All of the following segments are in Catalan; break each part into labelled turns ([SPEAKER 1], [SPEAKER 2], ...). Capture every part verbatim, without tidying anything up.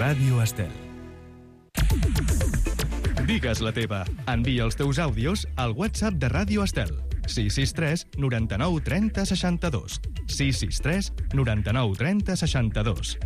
[SPEAKER 1] Ràdio Estel. Digues la teva. Envia els teus àudios al WhatsApp de Ràdio Estel. sis sis tres noranta-nou trenta seixanta-dos. sis sis tres noranta-nou trenta seixanta-dos.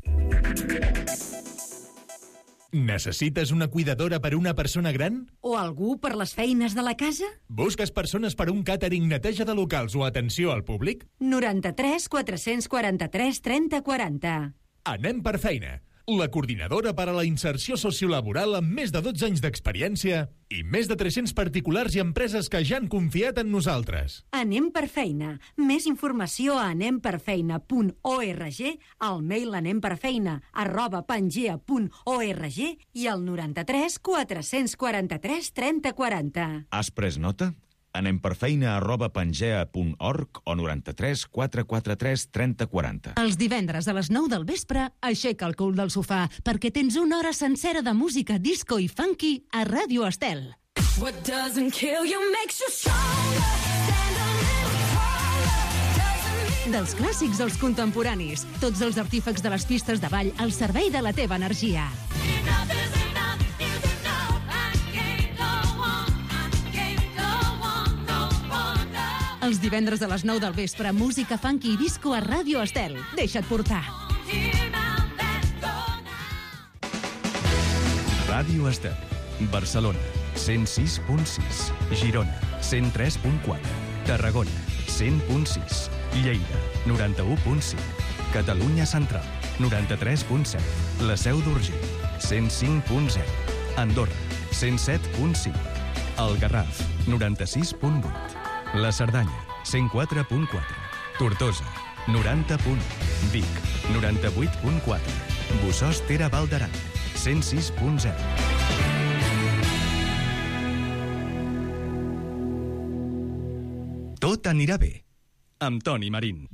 [SPEAKER 2] Necessites una cuidadora per una persona gran?
[SPEAKER 3] O algú per les feines de la casa?
[SPEAKER 2] Busques persones per un càtering, neteja de locals o atenció al públic?
[SPEAKER 3] noranta-tres quatre-cents quaranta-tres trenta quaranta.
[SPEAKER 2] Anem per feina. La coordinadora per a la inserció sociolaboral amb més de dotze anys d'experiència i més de tres-cents particulars i empreses que ja han confiat en nosaltres.
[SPEAKER 3] Anem per feina. Més informació a anem per feina punt org, al mail anemperfeina arroba pangea punt org i al noranta-tres quatre-cents quaranta-tres trenta quaranta.
[SPEAKER 4] Has pres nota? Anem per feina arroba pangea punt org o noranta-tres quatre-cents quaranta-tres trenta quaranta.
[SPEAKER 5] Els divendres a les nou del vespre, aixeca el cul del sofà, perquè tens una hora sencera de música disco i funky a Ràdio Estel.
[SPEAKER 6] What doesn't kill you makes you stronger. Stand a little taller. Doesn't mean...
[SPEAKER 5] Dels clàssics als contemporanis, tots els artífecs de les pistes de ball al servei de la teva energia.
[SPEAKER 6] Enough is enough is enough. I can't go on. I can't go on no longer.
[SPEAKER 5] Els divendres a les nou del vespre, música funky i disco a Ràdio Estel. Deixa't portar.
[SPEAKER 6] Here now, let's go now.
[SPEAKER 1] Ràdio Estel. Barcelona, cent sis punt sis. Girona, cent tres punt quatre. Tarragona, cent punt sis. Lleida, noranta-u punt cinc. Catalunya Central, noranta-tres punt set. La Seu d'Urgell, cent cinc punt zero. Andorra, cent set punt cinc. El Garraf, noranta-sis punt vuit. La Cerdanya, cent quatre punt quatre. Tortosa, noranta punt u. Vic, noranta-vuit punt quatre. Bossòst Ter Val d'Aran, cent sis punt zero. Tot anirà bé, amb Toni Marín.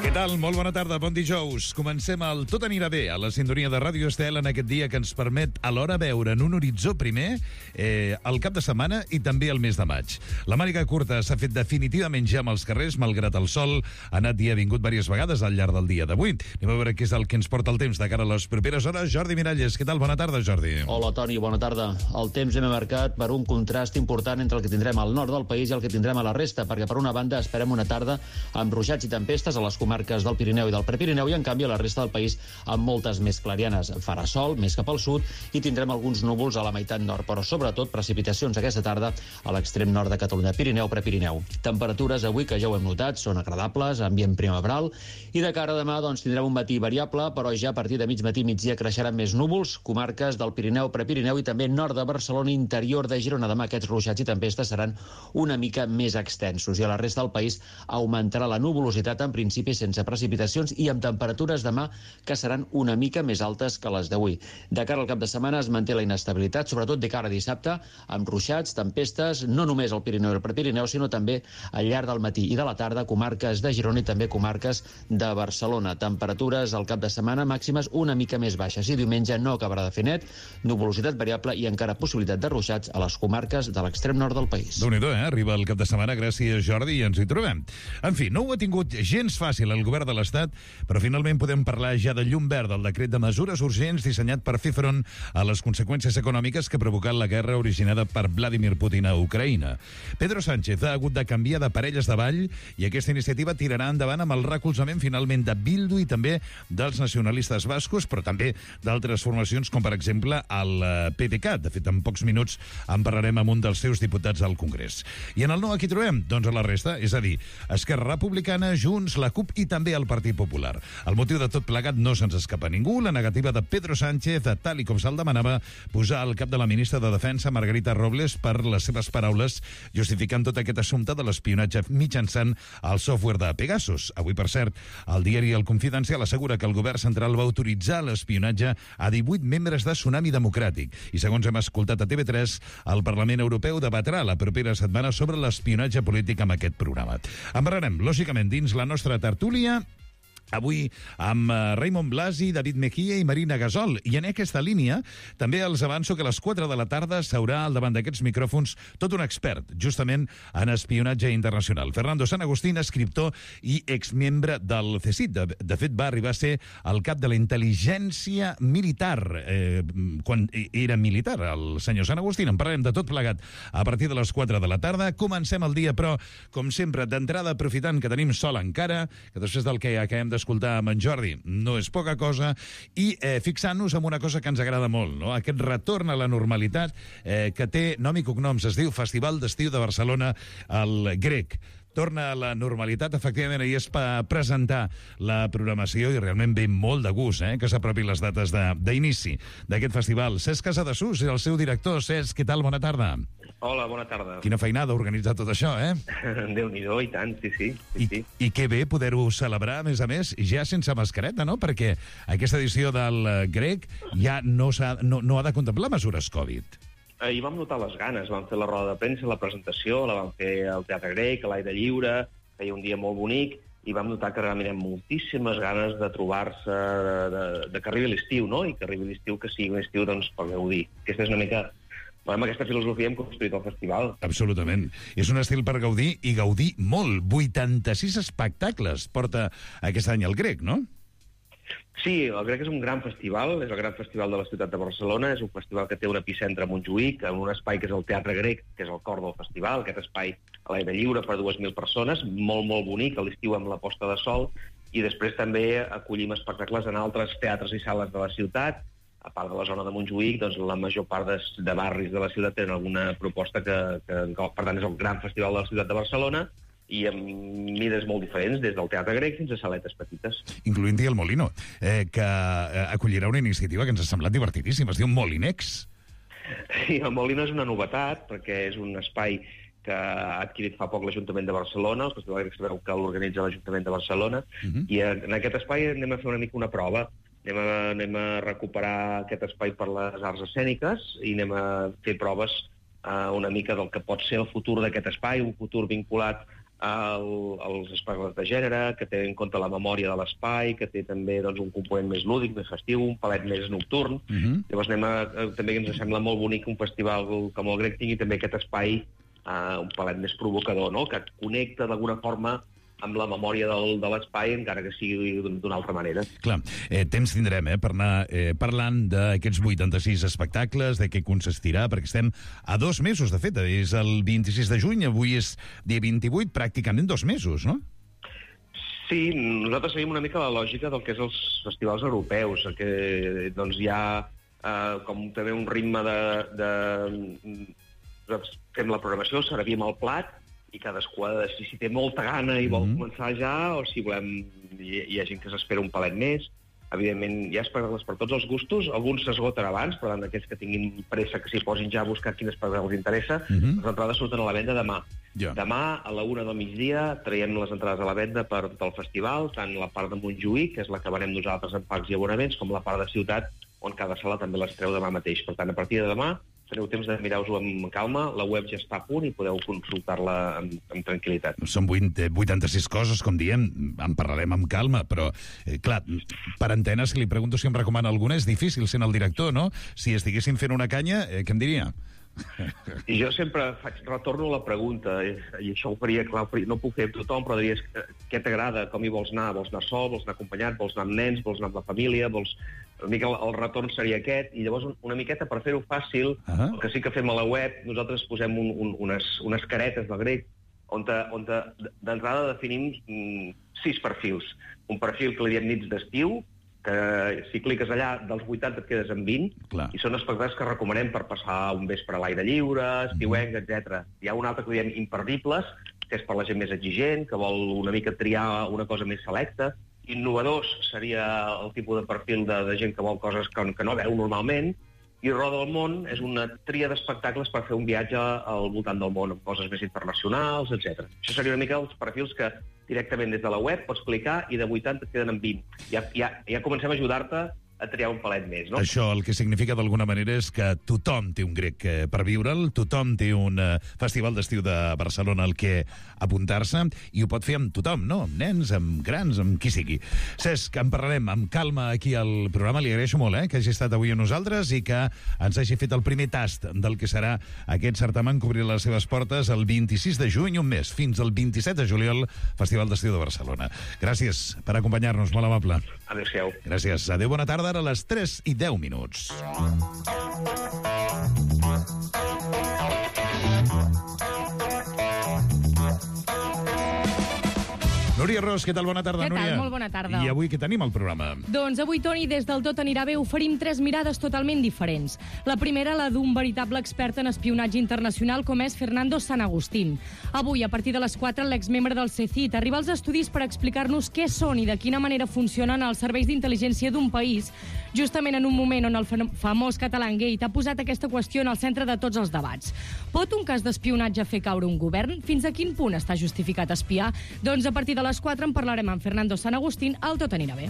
[SPEAKER 7] Què tal? Molt bona tarda, bon dijous. Comencem el Tot anirà bé, a la sintonia de Ràdio Estel, en aquest dia que ens permet alhora veure en un horitzó primer eh, el cap de setmana i també el mes de maig. La màniga curta s'ha fet definitivament ja amb els carrers, malgrat el sol ha anat i ha vingut diverses vegades al llarg del dia d'avui. Anem a veure què és el que ens porta el temps de cara a les properes hores. Jordi Miralles, què tal? Bona tarda, Jordi.
[SPEAKER 8] Hola, Toni, bona tarda. El temps hem marcat per un contrast important entre el que tindrem al nord del país i el que tindrem a la resta, perquè per una banda esperem una tarda amb ruixats i tempestes a les comarques del Pirineu i del Prepirineu i, en canvi, a la resta del país amb moltes més clarianes. Farà sol, més cap al sud, i tindrem alguns núvols a la meitat nord, però sobretot precipitacions aquesta tarda a l'extrem nord de Catalunya, Pirineu, Prepirineu. Temperatures avui, que ja ho hem notat, són agradables, ambient primaveral, i de cara a demà doncs, tindrem un matí variable, però ja a partir de mig matí migdia creixeran més núvols, comarques del Pirineu, Prepirineu i també nord de Barcelona, interior de Girona. Demà aquests ruixats i tempestes seran una mica més extensos, i a la resta del país augmentarà la nuvolositat, en principi sense precipitacions i amb temperatures demà que seran una mica més altes que les d'avui. De cara al cap de setmana es manté la inestabilitat, sobretot de cara a dissabte, amb ruixats, tempestes, no només al Pirineu i al Prepirineu, sinó també al llarg del matí i de la tarda, comarques de Girona i també comarques de Barcelona. Temperatures al cap de setmana màximes una mica més baixes, i diumenge no acabarà de fer net, nuvolositat variable i encara possibilitat de ruixats a les comarques de l'extrem nord del país.
[SPEAKER 7] Déu-n'hi-do, eh? Arriba el cap de setmana, gràcies, Jordi, i ens hi trobem. En fi, no ho ha tingut gens fàcil el govern de l'Estat, però finalment podem parlar ja de llum verd, del decret de mesures urgents dissenyat per fer front a les conseqüències econòmiques que ha provocat la guerra originada per Vladimir Putin a Ucraïna. Pedro Sánchez ha hagut de canviar de parelles de ball i aquesta iniciativa tirarà endavant amb el recolzament finalment de Bildu i també dels nacionalistes bascos, però també d'altres formacions com per exemple el P D C A T. De fet, en pocs minuts en parlarem amb un dels seus diputats al Congrés. I en el no aquí trobem? Doncs a la resta, és a dir, Esquerra Republicana, Junts, la CUP i també el Partit Popular. El motiu de tot plegat no se'ns escapa a ningú, la negativa de Pedro Sánchez, tal i com se'l demanava, posar al cap de la ministra de Defensa, Margarita Robles, per les seves paraules, justificant tot aquest assumpte de l'espionatge mitjançant el software de Pegasus. Avui, per cert, el diari El Confidencial assegura que el govern central va autoritzar l'espionatge a divuit membres de Tsunami Democràtic. I segons hem escoltat a T V tres, el Parlament Europeu debatrà la propera setmana sobre l'espionatge polític amb aquest programa. En parlarem, lògicament, dins la nostra tertúlia Avui amb uh, Raymond Blasi, David Mejía i Marina Gasol. I en aquesta línia també els avanço que a les quatre de la tarda s'haurà al davant d'aquests micròfons tot un expert, justament en espionatge internacional. Fernando San Agustín, escriptor i exmembre del C S I C. De, de fet, va arribar a ser el cap de la intel·ligència militar, eh, quan era militar, el senyor San Agustín. En parlarem de tot plegat a partir de les quatre de la tarda. Comencem el dia, però, com sempre, d'entrada, aprofitant que tenim sol encara, que després del que acabem de escoltar amb en Jordi, no és poca cosa, i eh, fixant-nos en una cosa que ens agrada molt, no? Aquest retorn a la normalitat eh, que té nom i cognoms, es diu Festival d'Estiu de Barcelona, el Grec. Torna a la normalitat, efectivament, ahir es va presentar la programació i realment ve molt de gust eh, que s'apropin les dates d'inici d'aquest festival. Cesc Casadesús és el seu director. Cesc, què tal? Bona tarda.
[SPEAKER 9] Hola, bona tarda.
[SPEAKER 7] Quina feinada organitzar tot això, eh?
[SPEAKER 9] Déu-n'hi-do, i tant, sí, sí. sí,
[SPEAKER 7] I,
[SPEAKER 9] sí.
[SPEAKER 7] I que bé poder-ho celebrar, a més a més, ja sense mascareta, no? Perquè aquesta edició del eh, Grec ja no, ha, no, no ha de contemplar mesures Covid.
[SPEAKER 9] Ahir vam notar les ganes, vam fer la roda de premsa, la presentació, la vam fer al Teatre Grec, a l'aire lliure, feia un dia molt bonic, i vam notar que realment hi ha moltíssimes ganes de trobar-se, de, de, de que arribi l'estiu, no? I que arribi l'estiu, que sigui un estiu, doncs, per gaudir. Aquesta és una mica... Amb aquesta filosofia hem construït el festival.
[SPEAKER 7] Absolutament. És un estil per gaudir, i gaudir molt. vuitanta-sis espectacles porta aquest any el Grec, no?
[SPEAKER 9] Sí, el Grec és un gran festival, és el gran festival de la ciutat de Barcelona, és un festival que té un epicentre a Montjuïc, en un espai que és el Teatre Grec, que és el cor del festival, aquest espai a l'aire lliure per dues mil persones, molt, molt bonic, a l'estiu amb la posta de sol, i després també acollim espectacles en altres teatres i sales de la ciutat. A part de la zona de Montjuïc, doncs la major part de, de barris de la ciutat tenen alguna proposta que, que, per tant, és el gran festival de la ciutat de Barcelona, i amb mides molt diferents, des del Teatre Grec fins a saletes petites.
[SPEAKER 7] Incloent-hi el Molino, eh, que acollirà una iniciativa que ens ha semblat divertidíssima, es diu Molinex.
[SPEAKER 9] Sí, el Molino és una novetat, perquè és un espai que ha adquirit fa poc l'Ajuntament de Barcelona, el Festival Grec sabeu que l'organitza l'Ajuntament de Barcelona, uh-huh. i en aquest espai anem a fer una mica una prova. Anem a, anem a recuperar aquest espai per les arts escèniques i anem a fer proves uh, una mica del que pot ser el futur d'aquest espai, un futur vinculat al, als espectacles de gènere, que té en compte la memòria de l'espai, que té també doncs, un component més lúdic, més festiu, un palet més nocturn. Uh-huh. Llavors anem a, també ens sembla molt bonic un festival com el Grec tingui també aquest espai uh, un palet més provocador, no? Que connecta d'alguna forma amb la memòria del, de l'espai, encara que sigui d'una altra manera.
[SPEAKER 7] Clar, eh, temps tindrem eh, per anar eh, parlant d'aquests vuitanta-sis espectacles, de què consistirà, perquè estem a dos mesos, de fet, és el vint-i-sis de juny, avui és dia vint-i-vuit, pràcticament dos mesos, no?
[SPEAKER 9] Sí, nosaltres seguim una mica la lògica del que és els festivals europeus, que doncs hi ha eh, com també un ritme de... de... Nosaltres fem la programació, servim el plat, i cadascú ha de decidir si té molta gana i vol mm-hmm. començar ja, o si volem... Hi, hi ha gent que s'espera un palet més. Evidentment, hi ha espectacles per tots els gustos. Alguns s'esgoten abans, per tant, aquells que tinguin pressa que s'hi posin ja a buscar quin espectacle els interessa. Mm-hmm. Les entrades surten a la venda demà. Yeah. Demà, a la una del migdia, traiem les entrades a la venda per tot el festival, tant la part de Montjuïc, que és la que venem nosaltres en packs i abonaments, com la part de ciutat, on cada sala també les treu demà mateix. Per tant, a partir de demà, teniu temps de mirar-vos-ho amb calma, la web ja està a punt i podeu consultar-la amb, amb tranquil·litat.
[SPEAKER 7] Són vuitanta-sis coses, com diem, en parlarem amb calma, però, eh, clar, per antena, si li pregunto si em recomana alguna, és difícil sent el director, no? Si estiguéssim fent una canya, eh, què em diria?
[SPEAKER 9] I jo sempre faig, retorno a la pregunta, i, i això ho faria, clar, no ho puc fer amb tothom, però diries, què t'agrada, com hi vols anar? Vols anar sol, vols anar acompanyat, vols anar amb nens, vols anar amb la família, vols... Una mica el, el retorn seria aquest, i llavors una miqueta per fer-ho fàcil, uh-huh. el que sí que fem a la web, nosaltres posem un, un, unes, unes caretes del Grec, on, te, on te, d'entrada definim mm, sis perfils. Un perfil que li diem nits d'estiu, que si cliques allà, dels vuitanta et quedes amb vint, Clar. I són espectacles que recomanem per passar un vespre a l'aire lliure, estiuenc, etcètera. Hi ha un altre que li diem imperdibles, que és per la gent més exigent, que vol una mica triar una cosa més selecta. Innovadors seria el tipus de perfil de, de gent que vol coses que, que no veu normalment, i Roda el món és una tria d'espectacles per fer un viatge al voltant del món, amb coses més internacionals, etcètera. Això seria una mica els perfils que directament des de la web pots clicar i de vuitanta et queden en vint. Ja, ja, ja comencem a ajudar-te a a triar un palet més, no?
[SPEAKER 7] Això el que significa d'alguna manera és que tothom té un grec eh, per viure'l, tothom té un eh, festival d'estiu de Barcelona al que apuntar-se, i ho pot fer amb tothom, no? Amb nens, amb grans, amb qui sigui. Cesc, en parlarem amb calma aquí al programa. Li agraeixo molt eh, que hagi estat avui amb nosaltres i que ens hagi fet el primer tast del que serà aquest certamen que obrirà les seves portes el vint-i-sis de juny, un mes, fins al vint-i-set de juliol, Festival d'Estiu de Barcelona. Gràcies per acompanyar-nos, molt amable.
[SPEAKER 9] Adéu-siau.
[SPEAKER 7] Gràcies. Adéu, bona tarda. Ara a les tres i deu minuts. Núria Ros, què tal? Bona tarda,
[SPEAKER 10] Què tal?
[SPEAKER 7] Núria.
[SPEAKER 10] Molt bona tarda.
[SPEAKER 7] I avui què tenim al programa?
[SPEAKER 10] Doncs avui, Toni, des del Tot anirà bé, oferim tres mirades totalment diferents. La primera, la d'un veritable expert en espionatge internacional, com és Fernando San Agustín. Avui, a partir de les quatre, l'exmembre del C C I T arriba als estudis per explicar-nos què són i de quina manera funcionen els serveis d'intel·ligència d'un país, justament en un moment on el famós Catalangate ha posat aquesta qüestió en el centre de tots els debats. Pot un cas d'espionatge fer caure un govern? Fins a quin punt està justificat espiar? Doncs a partir de les quatre en parlarem amb Fernando San Agustín al Tot anirà bé.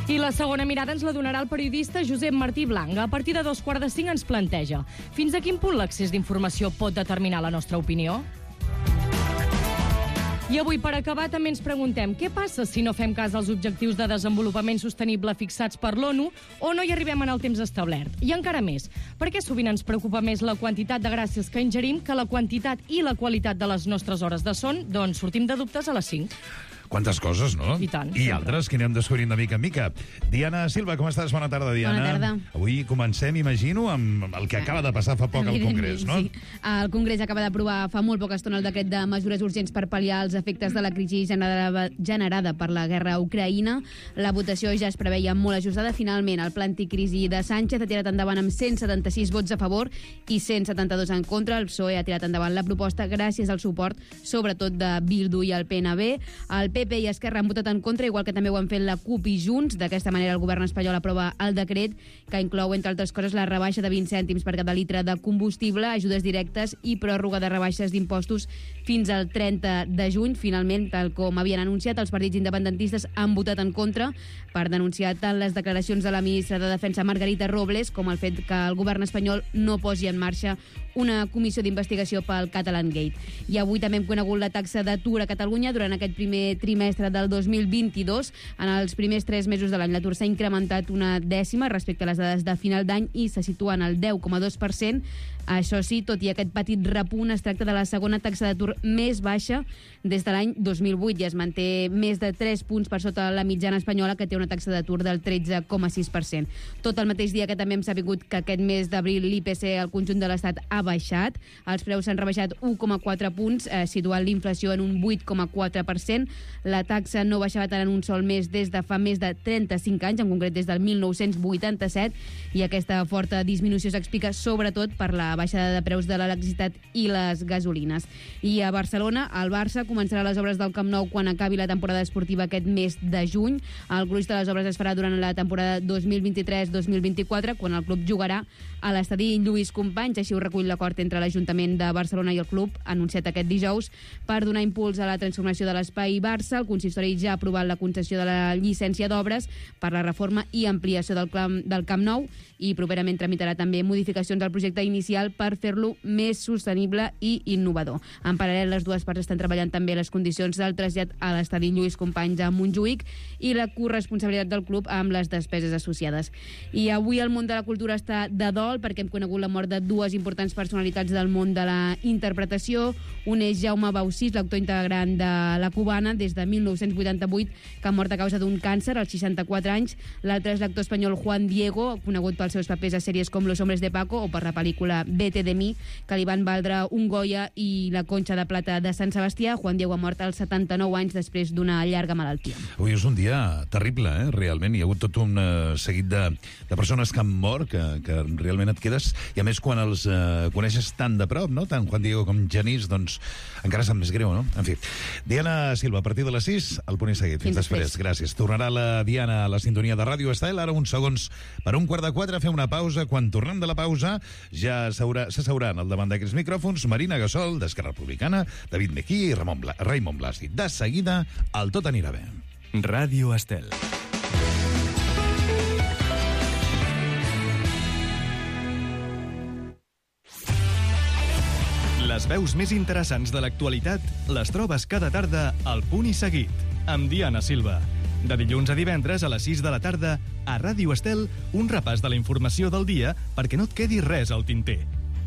[SPEAKER 10] I la segona mirada ens la donarà el periodista Josep Martí Blanc. A partir de dos quarts de cinc ens planteja fins a quin punt l'accés d'informació pot determinar la nostra opinió? I avui, per acabar, també ens preguntem què passa si no fem cas als objectius de desenvolupament sostenible fixats per l'ONU o no hi arribem en el temps establert. I encara més, per què sovint ens preocupa més la quantitat de gràcies que ingerim que la quantitat i la qualitat de les nostres hores de son? Doncs sortim de dubtes a les cinc.
[SPEAKER 7] Quantes coses, no?
[SPEAKER 10] I tant,
[SPEAKER 7] I
[SPEAKER 10] sempre.
[SPEAKER 7] altres que anem descobrint de mica en mica. Diana Silva, com estàs? Bona tarda, Diana.
[SPEAKER 11] Bona tarda.
[SPEAKER 7] Avui comencem, imagino, amb el que acaba de passar fa poc al Congrés, no?
[SPEAKER 11] Sí. El Congrés acaba d'aprovar fa molt poca estona el decret de mesures urgents per pal·liar els efectes de la crisi generada, generada per la guerra a Ucraïna. La votació ja es preveia molt ajustada. Finalment, el pla anticrisi de Sánchez ha tirat endavant amb cent setanta-sis vots a favor i cent setanta-dos en contra. El P S O E ha tirat endavant la proposta gràcies al suport, sobretot de Bildu i el P N B. El P P i Esquerra han votat en contra, igual que també ho han fet la CUP i Junts. D'aquesta manera, el govern espanyol aprova el decret, que inclou, entre altres coses, la rebaixa de vint cèntims per cada litre de combustible, ajudes directes i pròrroga de rebaixes d'impostos fins al trenta de juny. Finalment, tal com havien anunciat, els partits independentistes han votat en contra per denunciar tant les declaracions de la ministra de Defensa, Margarita Robles, com el fet que el govern espanyol no posi en marxa una comissió d'investigació pel Catalangate. I avui també hem conegut la taxa d'atur a Catalunya durant aquest primer trimestre del dos mil vint-i-dos. En els primers tres mesos de l'any l'atur s'ha incrementat una dècima respecte a les dades de final d'any i se situa en el deu coma dos per cent. Això sí, tot i aquest petit repunt, es tracta de la segona taxa d'atur més baixa des de l'any dos mil vuit i es manté més de tres punts per sota la mitjana espanyola, que té una taxa d'atur del tretze coma sis per cent. Tot el mateix dia que també hem sabut que aquest mes d'abril l'I P C al conjunt de l'Estat ha baixat. Els preus s'han rebaixat un coma quatre punts, eh, situant l'inflació en un vuit coma quatre per cent. La taxa no baixava tant en un sol mes des de fa més de trenta-cinc anys, en concret des del mil nou-cents vuitanta-set, i aquesta forta disminució s'explica sobretot per la baixada de preus de l'electricitat i les gasolines. I a Barcelona, el Barça començarà les obres del Camp Nou quan acabi la temporada esportiva aquest mes de juny. El gruix de les obres es farà durant la temporada dos mil vint-i-tres dos mil vint-i-quatre, quan el club jugarà a l'estadi Lluís Companys. Així ho recull l'acord entre l'Ajuntament de Barcelona i el club, anunciat aquest dijous, per donar impuls a la transformació de l'espai Barça. El consistori ja ha aprovat la concessió de la llicència d'obres per la reforma i ampliació del Camp, del Camp Nou, i properament tramitarà també modificacions al projecte inicial per fer-lo més sostenible i innovador. En paral·lel, les dues parts estan treballant també les condicions del trasllat a l'estadi Lluís Companys a Montjuïc i la corresponsabilitat del club amb les despeses associades. I avui el món de la cultura està de dol perquè hem conegut la mort de dues importants personalitats del món de la interpretació. Un és Jaume Baucis, l'actor integrant de La Cubana des de mil nou-cents vuitanta-vuit, que ha mort a causa d'un càncer als seixanta-quatre anys. L'altre és l'actor espanyol Juan Diego, conegut pels seus papers a sèries com Los Hombres de Paco o per la pel·lícula Vete de mi, que li van valdre un Goya i la Conxa de Plata de Sant Sebastià. Juan Diego ha mort als setanta-nou anys després d'una llarga malaltia.
[SPEAKER 7] Avui és un dia terrible, eh? Realment. Hi ha hagut tot un uh, seguit de, de persones que han mort, que, que realment et quedes, i a més quan els uh, coneixes tan de prop, no? Tant Juan Diego com Genís, doncs encara sap més greu, no? En fi. Diana Silva, a partir de les sis, al punt i seguit. Fins, Fins després. després. Gràcies. Tornarà la Diana a la sintonia de Ràdio Estel. Ara uns segons per un quart de quatre, fer una pausa. Quan tornem de la pausa ja s'asseuran al davant d'aquests micròfons Marina Gasol, d'Esquerra Republicana, David Mejía i Ramon Bla Raimon Blasi. De seguida, el Tot anirà bé.
[SPEAKER 1] Ràdio Estel. Les veus més interessants de l'actualitat les trobes cada tarda al Punt i Seguit, amb Diana Silva. De dilluns a divendres a les sis de la tarda, a Ràdio Estel, un repàs de la informació del dia perquè no et quedi res al tinter.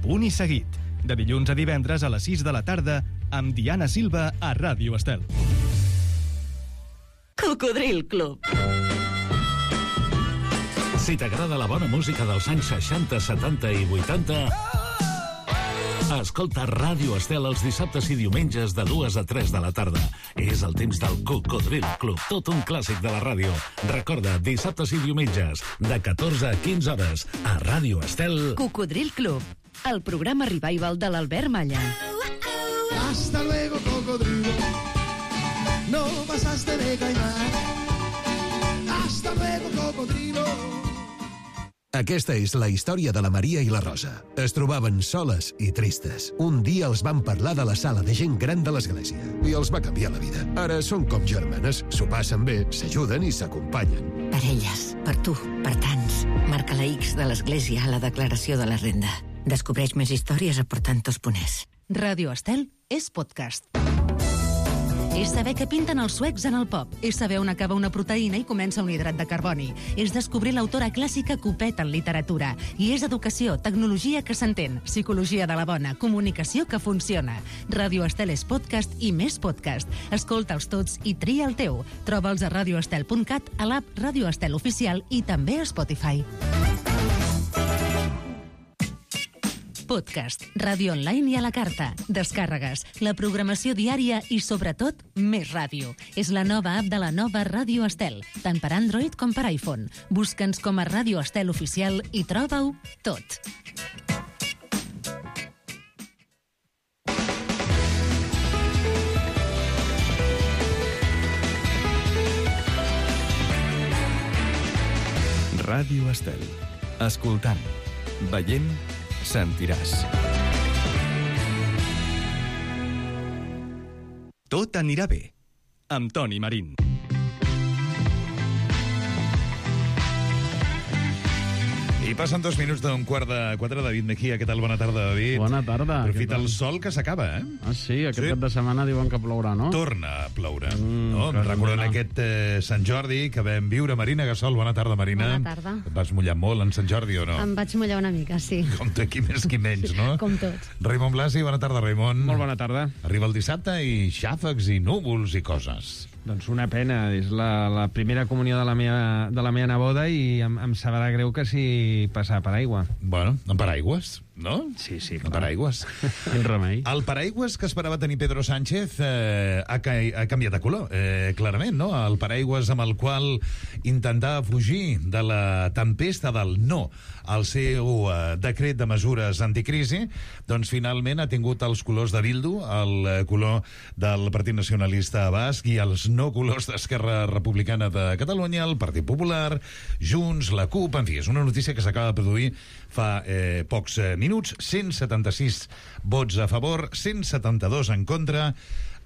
[SPEAKER 1] Punt i Seguit, de dilluns a divendres a les sis de la tarda, amb Diana Silva a Ràdio Estel.
[SPEAKER 12] Cocodril Club.
[SPEAKER 13] Si t'agrada la bona música dels anys seixanta, setanta i vuitanta... Escolta Ràdio Estel els dissabtes i diumenges de dues a tres de la tarda. És el temps del Cocodril Club, tot un clàssic de la ràdio. Recorda, dissabtes i diumenges, de catorze a quinze hores, a Ràdio Estel...
[SPEAKER 12] Cocodril Club, el programa revival de l'Albert Malla.
[SPEAKER 14] Hasta luego, cocodrilo. No pasaste de caimán. Hasta luego, cocodrilo.
[SPEAKER 15] Aquesta és la història de la Maria i la Rosa. Es trobaven soles i tristes. Un dia els van parlar de la sala de gent gran de l'església i els va canviar la vida. Ara són com germanes, s'ho passen bé, s'ajuden i s'acompanyen.
[SPEAKER 16] Per elles, per tu, per tants. Marca la X de l'església a la declaració de la renda. Descobreix més històries a portantos.es.
[SPEAKER 5] Ràdio Estel és podcast. És saber què pinten els suecs en el pop. És saber on acaba una proteïna i comença un hidrat de carboni. És descobrir l'autora clàssica Copet en literatura. I és educació, tecnologia que s'entén, psicologia de la bona, comunicació que funciona. Ràdio Estel és podcast i més podcast. Escolta'ls tots i tria el teu. Troba'ls a radioestel punt cat, a l'app Ràdio Estel Oficial i també a Spotify. Podcast, ràdio online i a la carta, descàrregues, la programació diària i, sobretot, més ràdio. És la nova app de la nova Ràdio Estel, tant per Android com per iPhone. Busca'ns com a Ràdio Estel Oficial i troba-ho tot.
[SPEAKER 1] Ràdio Estel. Escoltant, veient, sentiràs. Tot anirà bé, amb Toni Marín.
[SPEAKER 7] I passen dos minuts d'un quart de quatre. David Mejía, què tal? Bona tarda, David.
[SPEAKER 17] Bona tarda.
[SPEAKER 7] Aprofita el sol que s'acaba, eh?
[SPEAKER 17] Ah, sí? Aquest
[SPEAKER 7] Sí.
[SPEAKER 17] cap de setmana diuen que plourà, no?
[SPEAKER 7] Torna a ploure.
[SPEAKER 17] Mm,
[SPEAKER 7] no?
[SPEAKER 17] que
[SPEAKER 7] Recordant
[SPEAKER 17] remena.
[SPEAKER 7] aquest eh, Sant Jordi que vam viure. Marina Gassol, bona tarda, Marina.
[SPEAKER 18] Bona tarda.
[SPEAKER 7] Et vas mullar molt en Sant Jordi o no?
[SPEAKER 18] Em vaig mullar una mica, sí.
[SPEAKER 7] Com tu, qui més, qui menys, no?
[SPEAKER 18] Com tots.
[SPEAKER 7] Raimon Blasi, bona tarda, Raimon.
[SPEAKER 17] Molt bona tarda.
[SPEAKER 7] Arriba el dissabte i xàfecs i núvols i coses.
[SPEAKER 17] Doncs una pena, és la, la primera comunió de la meva, de la meva neboda i em, em sabrà greu que si passar per aigua.
[SPEAKER 7] Bueno, en paraigües, no?
[SPEAKER 17] Sí, sí,
[SPEAKER 7] En paraigües.
[SPEAKER 17] Quin remei.
[SPEAKER 7] El paraigües que esperava tenir Pedro Sánchez eh, ha, ca ha canviat de color, eh, clarament, no? El paraigües amb el qual intentava fugir de la tempesta del no al seu eh, decret de mesures anticrisi, doncs finalment ha tingut els colors de Bildu, el eh, color del Partit Nacionalista Basc i els no colors d'Esquerra Republicana de Catalunya, el Partit Popular, Junts, la CUP, en fi, és una notícia que s'acaba de produir fa eh, pocs eh, minuts, cent setanta-sis vots a favor, cent setanta-dos en contra,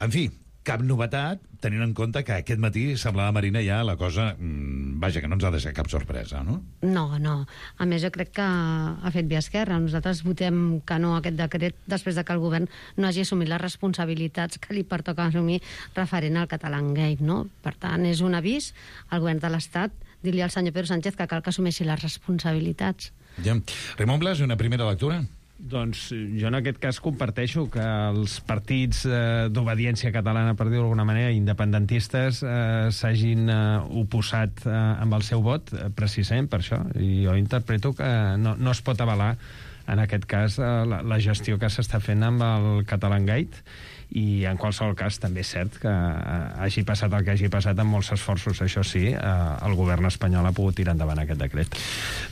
[SPEAKER 7] en fi, cap novetat, tenint en compte que aquest matí semblava, Marina, ja la cosa, mmm, vaja, que no ens ha de ser cap sorpresa, no?
[SPEAKER 18] No, no. A més, jo crec que ha fet bé Esquerra. Nosaltres votem que no a aquest decret després de que el govern no hagi assumit les responsabilitats que li pertoca assumir referent al Catalangate, no? Per tant, és un avís al govern de l'Estat dir-li al senyor Pedro Sánchez que cal que assumeixi les responsabilitats.
[SPEAKER 7] Ja. Raimon Blas, una primera lectura?
[SPEAKER 17] Doncs jo en aquest cas comparteixo que els partits eh, d'obediència catalana, per dir-ho d'alguna manera, independentistes, eh, s'hagin eh, oposat eh, amb el seu vot, eh, precisament per això. I jo interpreto que no, no es pot avalar, en aquest cas, eh, la, la gestió que s'està fent amb el Catalangate, i en qualsevol cas també és cert que eh, hagi passat el que hagi passat amb molts esforços, això sí, eh, el govern espanyol ha pogut tirar endavant aquest decret.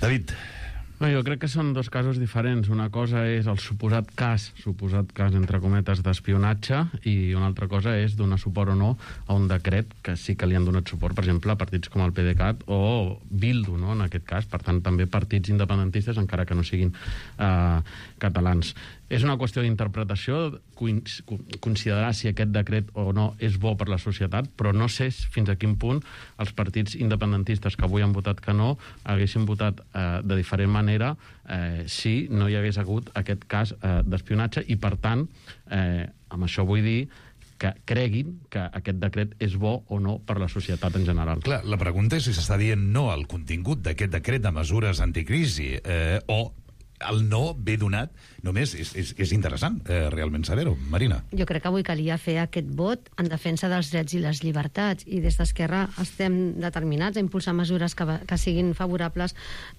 [SPEAKER 7] David.
[SPEAKER 17] No, jo crec que són dos casos diferents. Una cosa és el suposat cas, suposat cas, entre cometes, d'espionatge, i una altra cosa és donar suport o no a un decret que sí que li han donat suport, per exemple, a partits com el PDeCAT o Bildu, no?, en aquest cas. Per tant, també partits independentistes, encara que no siguin eh, catalans. És una qüestió d'interpretació, considerar si aquest decret o no és bo per la societat, però no sé fins a quin punt els partits independentistes que avui han votat que no haguessin votat eh, de diferent manera
[SPEAKER 19] manera eh, si no hi hagués hagut aquest cas eh, d'espionatge i, per tant, eh, amb això vull dir que creguin que aquest decret és bo o no per la societat en general.
[SPEAKER 7] Clar, la pregunta és si s'està dient no al contingut d'aquest decret de mesures anticrisi eh, o el no ve donat només. És, és, és interessant, eh, realment saber-ho. Marina.
[SPEAKER 18] Jo crec que avui calia fer aquest vot en defensa dels drets i les llibertats, i des d'Esquerra estem determinats a impulsar mesures que, que siguin favorables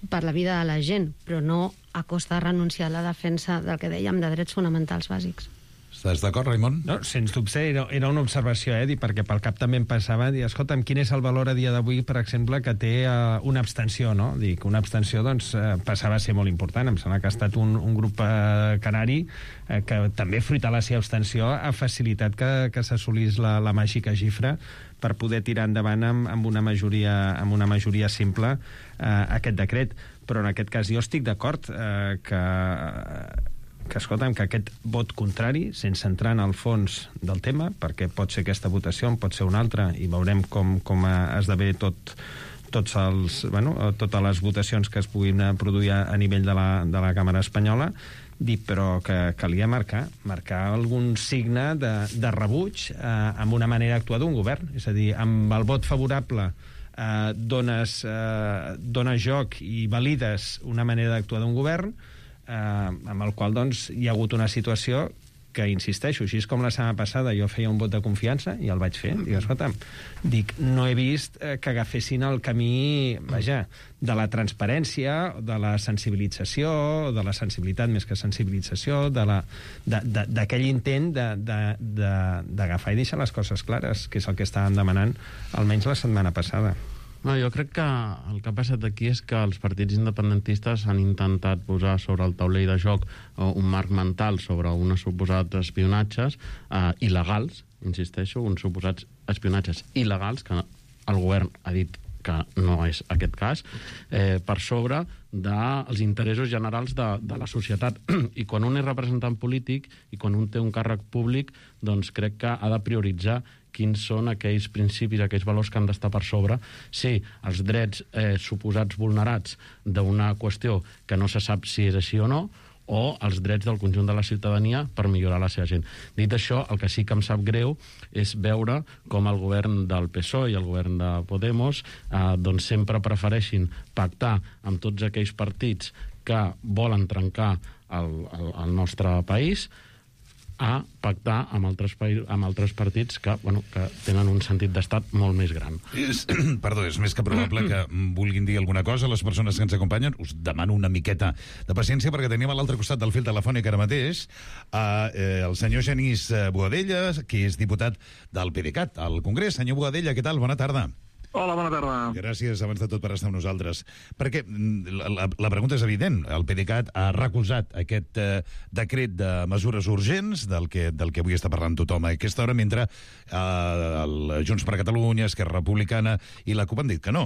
[SPEAKER 18] per la vida de la gent, però no a costa de renunciar a la defensa del que dèiem de drets fonamentals bàsics.
[SPEAKER 7] Estàs d'acord, Raimon?
[SPEAKER 17] No, sens dubte, era, era una observació, eh, perquè pel cap també em passava, dir, escolta'm, quin és el valor a dia d'avui, per exemple, que té uh, una abstenció, no? Dic, una abstenció, doncs, uh, passava a ser molt important. Em sembla que ha estat un, un grup uh, canari uh, que també, fruit a la seva abstenció, ha facilitat que, que s'assolís la, la màgica xifra per poder tirar endavant amb, amb, una, majoria, amb una majoria simple uh, aquest decret. Però en aquest cas jo estic d'acord uh, que... Uh, que, escolta'm, que aquest vot contrari, sense entrar en el fons del tema, perquè pot ser aquesta votació, pot ser una altra, i veurem com, com esdevé tot, tots els, bueno, totes les votacions que es puguin produir a nivell de la, de la Càmera Espanyola, dir, però que calia marcar, marcar algun signe de, de rebuig eh, amb una manera d'actuar d'un govern. És a dir, amb el vot favorable eh, dones, eh, dones joc i valides una manera d'actuar d'un govern, Eh, amb el qual doncs, hi ha hagut una situació que, insisteixo, així és com la setmana passada jo feia un vot de confiança i el vaig fer. Dic, escolta'm, dic, no he vist eh, que agafessin el camí, vaja, de la transparència, de la sensibilització, de la sensibilitat més que sensibilització, de la, de, de, d'aquell intent d'agafar i deixar les coses clares, que és el que estàvem demanant almenys la setmana passada.
[SPEAKER 19] No, jo crec que el que ha passat aquí és que els partits independentistes han intentat posar sobre el taulell de joc uh, un marc mental sobre uns suposats espionatges uh, il·legals, insisteixo, uns suposats espionatges il·legals, que el govern ha dit que no és aquest cas, eh, per sobre dels interessos generals de, de la societat. I quan un és representant polític i quan un té un càrrec públic, doncs crec que ha de prioritzar quins són aquells principis, aquells valors que han d'estar per sobre, si els drets eh, suposats vulnerats d'una qüestió que no se sap si és així o no, o els drets del conjunt de la ciutadania per millorar la seva gent. Dit això, el que sí que em sap greu és veure com el govern del P S O E i el govern de Podemos eh, doncs sempre prefereixin pactar amb tots aquells partits que volen trencar el, el, el nostre país a pactar amb altres, amb altres partits que, bueno, que tenen un sentit d'estat molt més gran.
[SPEAKER 7] És, perdó, és més que probable que vulguin dir alguna cosa a les persones que ens acompanyen. Us demano una miqueta de paciència perquè tenim a l'altre costat del fil telefònic ara mateix a, eh, el senyor Genís Boadella, que és diputat del PDeCAT al Congrés. Senyor Boadella, què tal? Bona tarda.
[SPEAKER 20] Hola, bona tarda.
[SPEAKER 7] Gràcies, abans de tot, per estar amb nosaltres. Perquè la, la, la pregunta és evident. El PDeCAT ha recolzat aquest eh, decret de mesures urgents del que, del que avui està parlant tothom a aquesta hora, mentre eh, el Junts per Catalunya, Esquerra Republicana i la CUP han dit que no.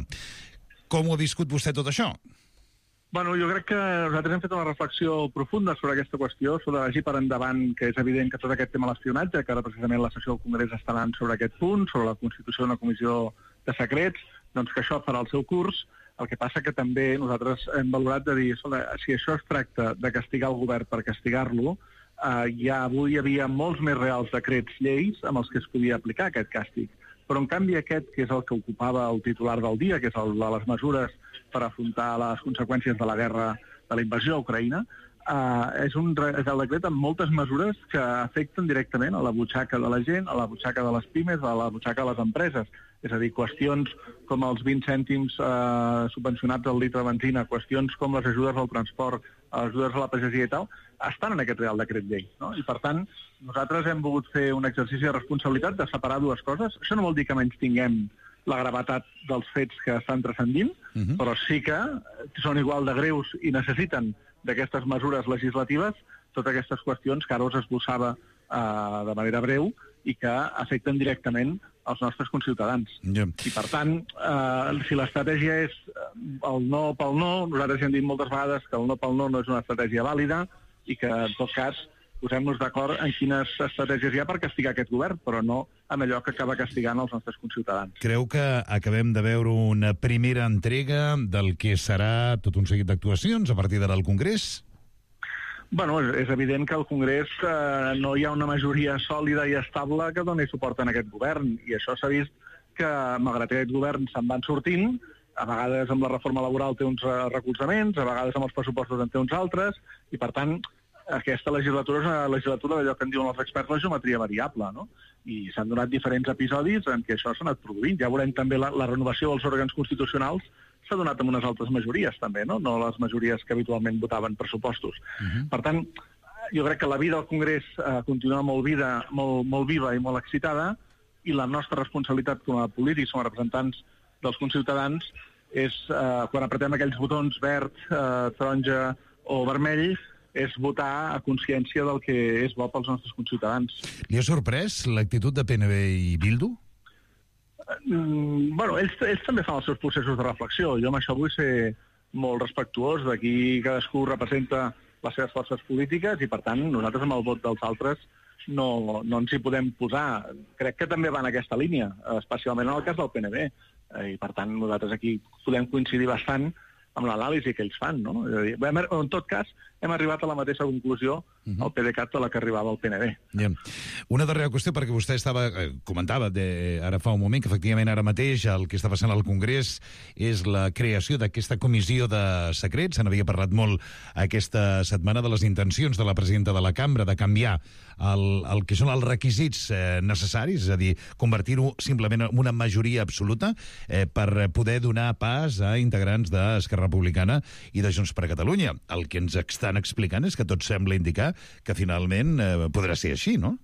[SPEAKER 7] Com ho ha viscut vostè tot això?
[SPEAKER 20] Bueno, jo crec que nosaltres hem fet una reflexió profunda sobre aquesta qüestió, sobre vagi per endavant, que és evident que tot aquest tema de l'espionatge, que ara precisament la sessió del Congrés està anant sobre aquest punt, sobre la constitució d'una comissió de secrets, doncs que això farà el seu curs. El que passa que també nosaltres hem valorat de dir, si això es tracta de castigar el govern per castigar-lo, eh, ja avui hi havia molts més reals decrets lleis amb els que es podia aplicar aquest càstig. Però, en canvi, aquest, que és el que ocupava el titular del dia, que és el de les mesures per afrontar les conseqüències de la guerra, de la invasió a Ucraïna, eh, és, un, és el decret amb moltes mesures que afecten directament a la butxaca de la gent, a la butxaca de les pimes, a la butxaca de les empreses. És a dir, qüestions com els vint cèntims eh, subvencionats al litre de benzina, qüestions com les ajudes al transport, les ajudes a la pagesia i tal, estan en aquest Real Decret Llei, no? I, per tant, nosaltres hem volgut fer un exercici de responsabilitat de separar dues coses. Això no vol dir que menys tinguem la gravetat dels fets que estan transcendint, uh-huh. però sí que són igual de greus i necessiten d'aquestes mesures legislatives totes aquestes qüestions que ara us esbossava eh, de manera breu i que afecten directament els nostres conciutadans.
[SPEAKER 7] Yeah.
[SPEAKER 20] I, per tant, eh, si l'estratègia és el no pel no, nosaltres hem dit moltes vegades que el no pel no no és una estratègia vàlida i que, en tot cas, posem-nos d'acord en quines estratègies hi ha per castigar aquest govern, però no amb allò que acaba castigant els nostres conciutadans.
[SPEAKER 7] Creu que acabem de veure una primera entrega del que serà tot un seguit d'actuacions a partir d'ara al Congrés?
[SPEAKER 20] Bueno, és, és evident que al Congrés eh, no hi ha una majoria sòlida i estable que doni suport a aquest govern, i això s'ha vist que, malgrat que aquest govern se'n van sortint, a vegades amb la reforma laboral té uns uh, recolzaments, a vegades amb els pressupostos en té uns altres, i per tant aquesta legislatura és una legislatura d'allò que en diuen els experts la geometria variable, no? I s'han donat diferents episodis en què això s'ha anat produint. Ja veurem també la, la renovació dels òrgans constitucionals s'ha donat amb unes altres majories també, no? No les majories que habitualment votaven pressupostos. Uh-huh. Per tant, jo crec que la vida al Congrés eh, continua molt, vida, molt, molt viva i molt excitada, i la nostra responsabilitat com a polítics, com a representants dels conciutadans, és, eh, quan apretem aquells botons verd, eh, taronja o vermell, és votar a consciència del que és bo pels nostres conciutadans.
[SPEAKER 7] Li ha sorprès l'actitud de P N B i Bildu?
[SPEAKER 20] Mm, bueno, ells, ells també fan els seus processos de reflexió. Jo amb això vull ser molt respectuós. D'aquí cadascú representa les seves forces polítiques i, per tant, nosaltres amb el vot dels altres no, no ens hi podem posar. Crec que també va en aquesta línia, especialment en el cas del P N B. I, per tant, nosaltres aquí podem coincidir bastant amb l'anàlisi que ells fan, no? És a dir, hem, en tot cas, hem arribat a la mateixa conclusió uh-huh. al PDeCAT a la que arribava el P N B.
[SPEAKER 7] Yeah. Una darrera qüestió, perquè vostè estava, eh, comentava de, ara fa un moment que efectivament ara mateix el que està passant al Congrés és la creació d'aquesta comissió de secrets. Se n'havia parlat molt aquesta setmana de les intencions de la presidenta de la Cambra de canviar el, el que són els requisits eh, necessaris, és a dir, convertir-ho simplement en una majoria absoluta eh, per poder donar pas a integrants d'Esquerra Republicana i de Junts per Catalunya. El que ens estan explicant és que tot sembla indicar que finalment eh, podrà ser així, no?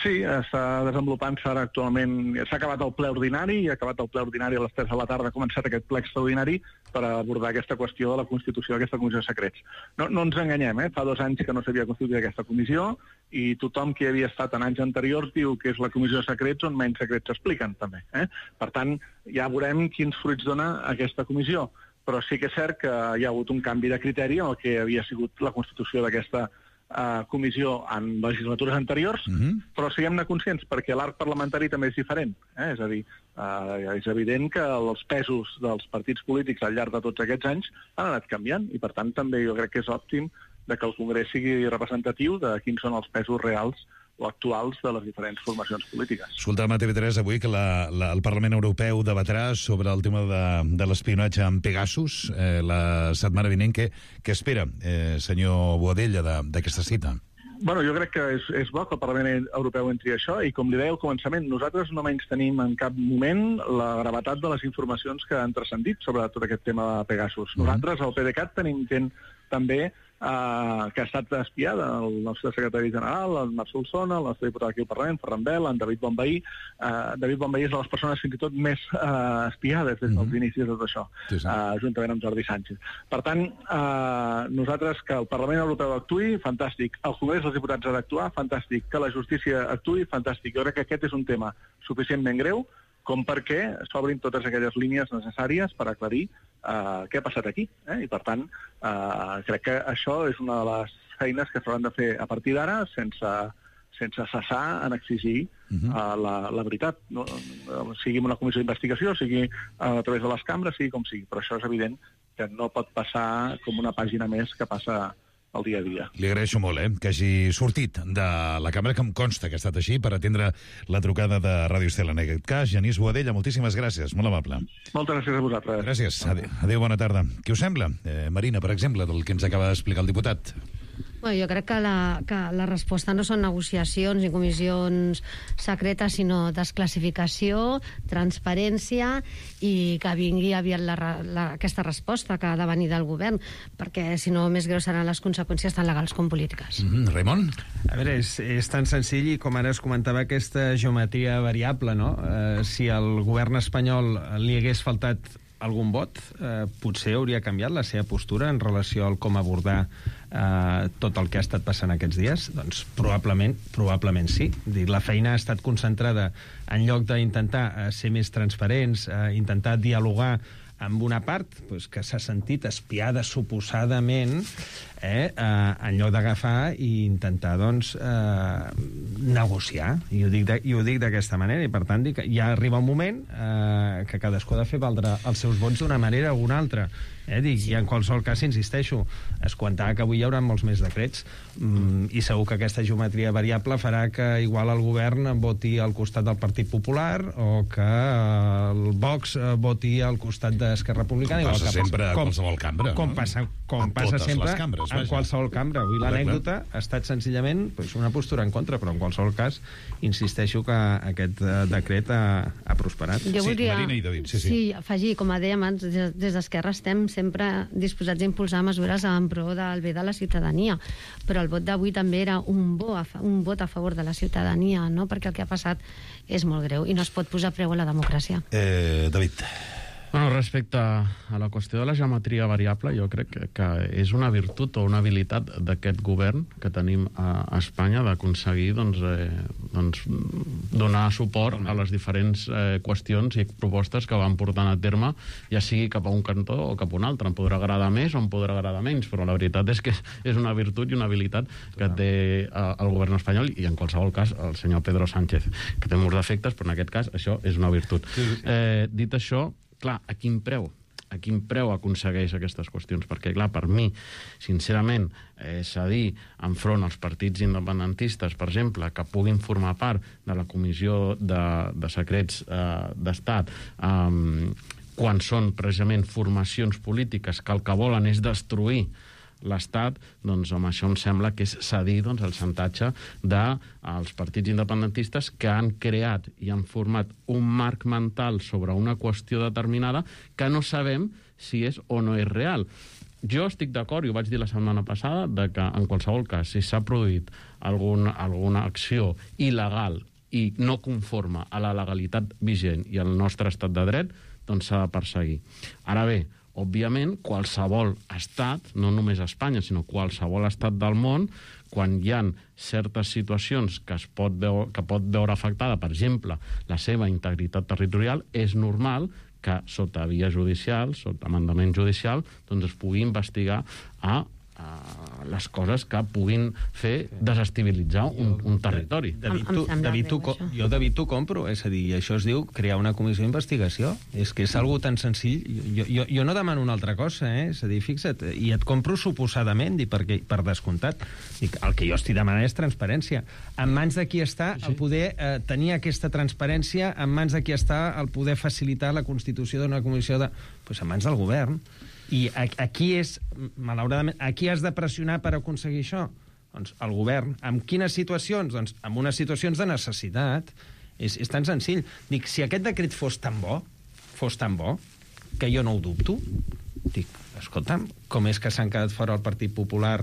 [SPEAKER 20] Sí, està desenvolupant-se ara actualment. S'ha acabat el ple ordinari, i ha acabat el ple ordinari a les tres de la tarda, ha començat aquest ple extraordinari per abordar aquesta qüestió de la constitució d'aquesta comissió de secrets. No, no ens enganyem, eh? Fa dos anys que no s'havia constituït aquesta comissió, i tothom que havia estat en anys anteriors diu que és la comissió de secrets on menys secrets s'expliquen, també. Eh? Per tant, ja veurem quins fruits dona aquesta comissió. Però sí que és cert que hi ha hagut un canvi de criteri en el que havia sigut la constitució d'aquesta Uh, comissió en legislatures anteriors, uh-huh. però siguem-ne conscients, perquè l'arc parlamentari també és diferent. Eh? És a dir, uh, és evident que els pesos dels partits polítics al llarg de tots aquests anys han anat canviant, i per tant també jo crec que és òptim de que el Congrés sigui representatiu de quins són els pesos reals o actuals de les diferents formacions polítiques.
[SPEAKER 7] Escoltàvem a T V tres avui que la, la, el Parlament Europeu debatrà sobre el tema de, de l'espionatge amb Pegasus eh, la setmana vinent. Què, què espera, eh, senyor Boadella, d'aquesta cita?
[SPEAKER 20] Bueno, jo crec que és, és bo que el Parlament Europeu entri a això, i com li deia al començament, nosaltres no menys tenim en cap moment la gravetat de les informacions que han transcendit sobre tot aquest tema de Pegasus. Nosaltres, al PDeCAT, tenim gent també Uh, que ha estat espiada, el nostre secretari general, el Marc Solsona, el nostre diputat aquí al Parlament, Ferran Bel, en David Bonvehí. Uh, David Bonvehí és de les persones fins i tot més uh, espiades des dels mm-hmm. inicis de tot això, sí, sí. Uh, juntament amb Jordi Sánchez. Per tant, uh, nosaltres que el Parlament Europeu actuï, fantàstic. El Congrés dels Diputats ha d'actuar, fantàstic. Que la justícia actuï, fantàstic. Jo crec que aquest és un tema suficientment greu com perquè s'obrin totes aquelles línies necessàries per aclarir uh, què ha passat aquí. Eh? I, per tant, uh, crec que això és una de les feines que s'hauran de fer a partir d'ara sense, sense cessar en exigir uh-huh. uh, la, la veritat. No? Sigui una comissió d'investigació, sigui uh, a través de les cambres, sigui com sigui. Però això és evident que no pot passar com una pàgina més que passa el dia a dia.
[SPEAKER 7] Li agraeixo molt, eh, que hagi sortit de la cambra, que em consta que ha estat així, per atendre la trucada de Ràdio Estel. En aquest cas, Genís Boadella, moltíssimes gràcies, molt amable.
[SPEAKER 20] Moltes gràcies a vosaltres.
[SPEAKER 7] Gràcies, adéu, adéu bona tarda. Què us sembla, eh, Marina, per exemple, del que ens acaba d'explicar el diputat?
[SPEAKER 18] Bueno, jo crec que la, que la resposta no són negociacions ni comissions secretes, sinó desclassificació, transparència, i que vingui aviat la, la, aquesta resposta que ha de venir del govern, perquè si no més greus seran les conseqüències tant legals com polítiques.
[SPEAKER 7] Mm-hmm. Raimon?
[SPEAKER 17] A veure, és, és tan senzill, i com ara es comentava aquesta geometria variable, no? Eh, si al govern espanyol li hagués faltat algun vot, eh, potser hauria canviat la seva postura en relació al com abordar eh, tot el que ha estat passant aquests dies? Doncs probablement, probablement sí. Dir, la feina ha estat concentrada en lloc d'intentar eh, ser més transparents, eh, intentar dialogar amb una part pues, que s'ha sentit espiada suposadament, eh, eh, en lloc d'agafar i intentar doncs, eh, negociar. I ho dic de, i ho dic d'aquesta manera, i per tant dic, ja arriba un moment eh, que cadascú ha de fer valdre els seus vots d'una manera o una altra. Eh, dic, sí. I en qualsevol cas, insisteixo, es comentava que avui hi haurà molts més decrets mm, i segur que aquesta geometria variable farà que igual el govern voti al costat del Partit Popular o que el Vox voti al costat d'Esquerra Republicana.
[SPEAKER 7] Com passa
[SPEAKER 17] que,
[SPEAKER 7] sempre a
[SPEAKER 17] com,
[SPEAKER 7] qualsevol cambra,
[SPEAKER 17] com
[SPEAKER 7] no?
[SPEAKER 17] passa, com
[SPEAKER 7] En
[SPEAKER 17] passa
[SPEAKER 7] totes
[SPEAKER 17] sempre
[SPEAKER 7] les cambres,
[SPEAKER 17] en
[SPEAKER 7] vaja.
[SPEAKER 17] qualsevol cambra. Avui l'anècdota ha estat senzillament pues, una postura en contra, però en qualsevol cas insisteixo que aquest eh, decret ha, ha prosperat.
[SPEAKER 18] Jo voldria,
[SPEAKER 7] Marina i David, sí, sí.
[SPEAKER 18] sí, afegir, com a dèiem abans, des, des d'Esquerra estem sempre disposats a impulsar mesures en pro del bé de la ciutadania, però el vot d'avui també era un, bo a, un vot a favor de la ciutadania, no? Perquè el que ha passat és molt greu i no es pot posar preu a la democràcia.
[SPEAKER 7] Eh, David.
[SPEAKER 19] Bueno, respecte a la qüestió de la geometria variable, jo crec que, que és una virtut o una habilitat d'aquest govern que tenim a, a Espanya d'aconseguir doncs, eh, doncs, donar suport a les diferents eh, qüestions i propostes que van portant a terme, ja sigui cap a un cantó o cap a un altre. Em podrà agradar més o em podrà agradar menys, però la veritat és que és una virtut i una habilitat que té eh, el govern espanyol i en qualsevol cas el senyor Pedro Sánchez, que té molts defectes, però en aquest cas això és una virtut. Eh, dit això, clar, a quin preu? A quin preu aconsegueix aquestes qüestions? Perquè, clar, per mi, sincerament, eh, cedir enfront als partits independentistes, per exemple, que puguin formar part de la Comissió de, de Secrets eh, d'Estat, eh, quan són precisament formacions polítiques que el que volen és destruir l'Estat, doncs amb això em sembla que és cedir doncs, el xantatge dels partits independentistes que han creat i han format un marc mental sobre una qüestió determinada que no sabem si és o no és real. Jo estic d'acord, i ho vaig dir la setmana passada, de que en qualsevol cas, si s'ha produït algun, alguna acció il·legal i no conforme a la legalitat vigent i al nostre estat de dret, doncs s'ha de perseguir. Ara bé, òbviament, qualsevol estat, no només Espanya, sinó qualsevol estat del món, quan hi ha certes situacions que es pot veure, que pot veure afectada, per exemple, la seva integritat territorial, és normal que sota via judicial, sota mandament judicial, doncs es pugui investigar a Uh, les coses que puguin fer desestabilitzar un, un territori.
[SPEAKER 17] David, tu, David, tu, jo, David, t'ho compro. És a dir, això es diu crear una comissió d'investigació. És que és algo tan senzill. Jo, jo, jo no demano una altra cosa, eh? És a dir, fixa't, i et compro suposadament, i perquè, per descomptat. Dic, el que jo estic demanant és transparència. En mans de qui està el poder eh, tenir aquesta transparència, en mans de qui està el poder facilitar la constitució d'una comissió de... Pues en mans del govern. I aquí és, malauradament, aquí has de pressionar per aconseguir això? Doncs el govern. En quines situacions? Doncs en unes situacions de necessitat. És, és tan senzill. Dic, si aquest decret fos tan bo, fos tan bo, que jo no ho dubto, dic, escolta'm, com és que s'han quedat fora el Partit Popular